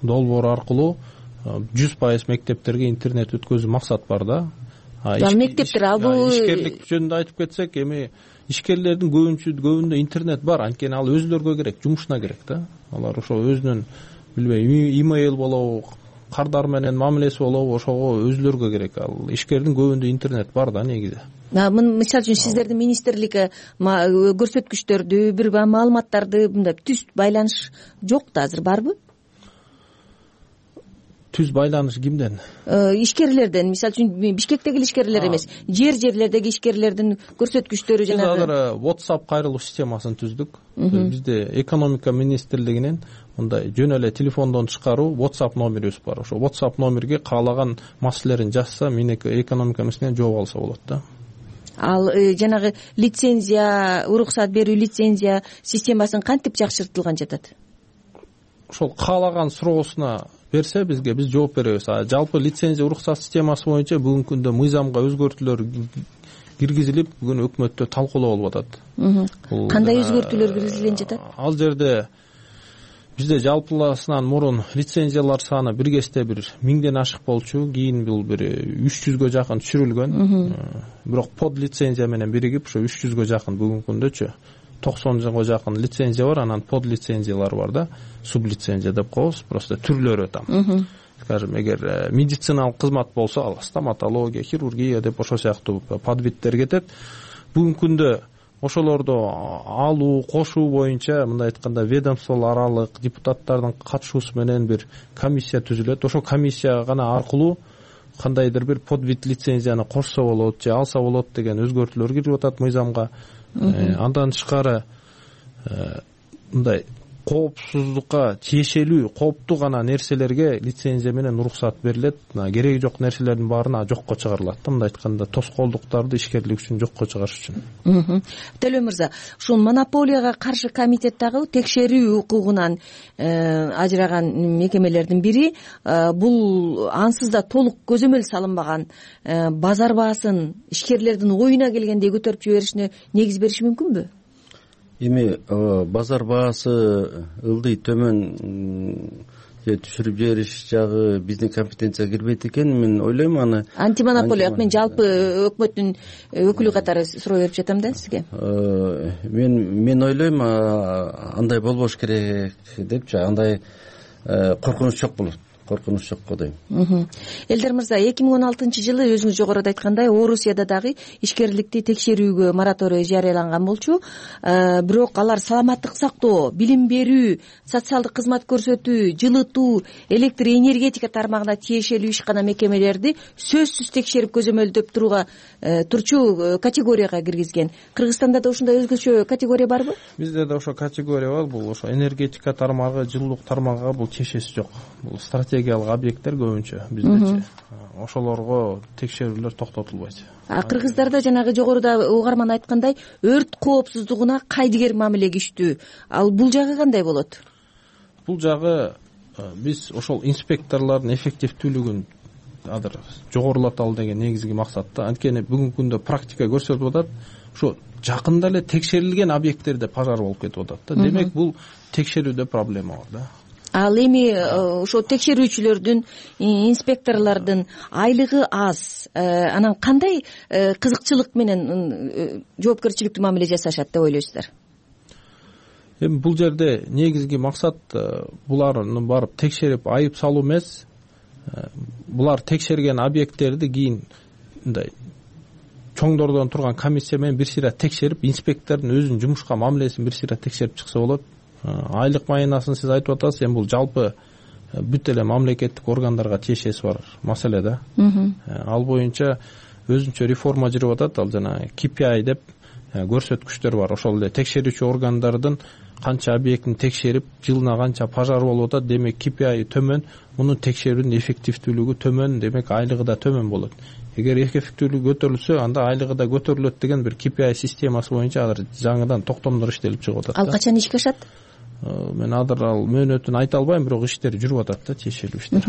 [SPEAKER 5] долбоор аркылуу жүз пайыз мектептерге интернет өткөзүү максат бар да.
[SPEAKER 2] Ал мектептер ал бул
[SPEAKER 5] ишкерлик жөнүндө айтып кетсек, эми ишкерлердин көбүнчө көбүндө интернет бар, анткени ал өзүлөргө керек, жумушуна керек да. Алар ошо өзүнүн билбейм имейл болобу, кардар менен мамилеси болобу, ошого өзүлөргө керек. Ал ишкердин көбүндө интернет бар да негизи.
[SPEAKER 2] Мисалы үчүн сиздердин министрликке көрсөткүчтөрдү, бир маалыматтарды мындай түз байланыш жок да азыр, барбы?
[SPEAKER 5] Түз байланыш кимден?
[SPEAKER 2] Ишкерлерден. Мисалы үчүн Бишкектеги ишкерлер эмес, жер жерлердеги ишкерлердин көрсөткүчтөрү жанагы.
[SPEAKER 5] Биз азыр WhatsApp кайрылуу системасын түздүк. Бизде экономика министрлигинин мындай жөн эле телефондон тышкаруу WhatsApp номерибиз бар. Ошо WhatsApp номерге каалаган маселелерин жазса, мен экономика министрлигинен жооп алса болот да.
[SPEAKER 2] Ал жанагы лицензия, уруксат берүү лицензия системасын кантип жакшыртылган жатат?
[SPEAKER 5] Ошол каалаган суроосуна берсе бизге, биз жооп беребиз. А жалпы лицензия уруксат системасы боюнча бүгүнкү күндө мыйзамга өзгөртүүлөр киргизилип, бүгүн өкмөттө талкуулоо болуп атат.
[SPEAKER 2] Кандай өзгөртүүлөр киргизилген жатат?
[SPEAKER 5] Ал жерде бизде жалпыласынан мурун лицензиялар саны бир кезде бир миңден ашык болчу, кийин бул бир үч жүзгө жакын түшүрүлгөн. Бирок под лицензия менен биригип ошо үч жүзгө жакын бүгүнкү күндөчү токсонго жакын лицензия бар, анан под лицензиялар бар да, сублицензия деп коебуз, просто түрлөрү там. Скажем, эгер медициналык кызмат болсо, ал стоматология, хирургия деп ошол сыяктуу подвидтер кетет. Бүгүнкү күндө ошолорду алуу, кошуу боюнча мындай айтканда ведомстволор аралык депутаттардын катышуусу менен бир комиссия түзүлөт. Ошол комиссия гана аркылуу кандайдыр бир подвид лицензияны кошсо болот же алса болот деген өзгөртүүлөр кирип атат мыйзамга. Андан тышкары мындай коопсуздукка тиешелүү, кооптуу гана нерселерге лицензия менен уруксат берилет. Кереги жок нерселердин баарына жокко чыгарылат. Мындай айтканда тоскоолдуктарды ишкерлик үчүн жокко чыгарыш үчүн.
[SPEAKER 2] Төлөө мырза, ушул монополияга каршы комитет дагы текшерүү укугунан ажыраган мекемелердин бири. Бул ансыз да толук көзөмөл салынбаган базар баасын ишкерлердин оюна келгенде көтөрүп жиберишине негиз бериши мүмкүнбү?
[SPEAKER 7] Эми базар баасы ылдый төмөн же түшүрүп жибериш жагы биздин компетенцияга кирбейт экен. Мен ойлойм аны
[SPEAKER 2] антимонополия, мен жалпы өкмөттүн өкүлү катары суроо берип жатам да сизге.
[SPEAKER 7] Мен мен ойлойм андай болбош керек депчи, андай коркунуч жок болот. Коркунуч жок го дейм.
[SPEAKER 2] Элдар мырза, эки миң он алтынчы жылы өзүңүз жогоруда айткандай Орусияда дагы ишкерликти текшерүүгө мораторий жарыяланган болчу. Бирок алар саламаттык сактоо, билим берүү, социалдык кызмат көрсөтүү, жылытуу, электр энергетика тармагына тиешелүү ишкана мекемелерди сөзсүз текшерип көзөмөлдөп турууга турчу категорияга киргизген. Кыргызстанда да ушундай өзгөчө категория барбы?
[SPEAKER 5] Бизде да ошо категория бар. Бул ошо энергетика тармагы, жылуулук тармагыга бул тиешеси жок. Бул стратегиялык объекттер көбүнчө биздечи. Ошолорго текшерүүлөр токтотулбайт.
[SPEAKER 2] А кыргыздарда жанагы жогоруда угарман айткандай өрт коопсуздугуна кайдыгер мамилеге иштүү. Ал бул жагы кандай болот?
[SPEAKER 5] Бул жагы биз ошол инспекторлордун эффективдүүлүгүн азыр жогорулаталы деген негизги максатта. Анткени бүгүнкү күндө практика көрсөтүп атат, ошо жакында эле текшерилген объекттерде пожар болуп кетип атат да. Демек бул текшерүүдө проблема бар да.
[SPEAKER 2] Ал эми ошо текшерүүчүлөрдүн, инспекторлордун айлыгы аз. Анан кандай кызыкчылык менен жоопкерчиликтүү мамиле жасашат деп ойлойсуздар?
[SPEAKER 5] Эми бул жерде негизги максат буларны барып текшерип айып салуу эмес. Булар текшерген объекттерди кийин мындай чоңдордон турган комиссия менен бир сыйра текшерип, инспектордун өзүнүн жумушка мамилесин бир сыйра текшерип чыкса болот. Айлык майынасын сиз айтып атасыз, эми бул жалпы бүт эле мамлекеттик органдарга тиешеси бар маселе да. Ал боюнча өзүнчө реформа жүрүп атат. Ал жана ки пи ай деп көрсөткүчтөр бар. Ошол эле текшерүүчү органдардын канча объектин текшерип, жылына канча пожар болуп атат, демек ки пи ай төмөн, мунун текшерүүнүн эффективдүүлүгү төмөн, демек айлыгы да төмөн болот. Эгер эффективдүүлүгү көтөрүлсө, анда айлыгы да көтөрүлөт деген бир ки пи ай системасы боюнча азыр жаңыдан токтомдор иштелип чыгып атат.
[SPEAKER 2] Ал качан ишке ашат?
[SPEAKER 5] Мен азыр ал мөөнөтүн айта албайм, бирок иштер жүрүп атат да, тиешелүү иштер.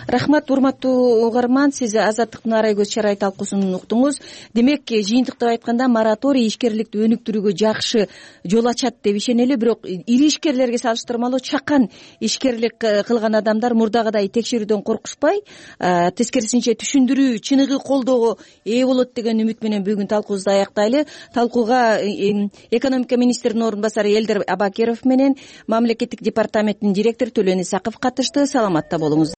[SPEAKER 2] Рахмат, урматтуу угарман, сиз Азаттыктын арай көз чарай талкуусун уктуңуз. Демек, жыйынтыктап айтканда, мораторий ишкерликти өнүктүрүүгө жакшы жол ачат деп ишенели, бирок ири ишкерлерге салыштырмалуу чакан ишкерлик кылган адамдар мурдагыдай текшерүүдөн коркушпай, тескерисинче түшүндүрүү, чыныгы колдоого ээ болот деген үмүт менен бүгүн талкуубузду аяктайлы. Талкууга экономика министринин орун басары Элдер Абакиров менен мамлекеттик департаменттин директору Төлөн Исаков катышты. Саламатта болуңуздар.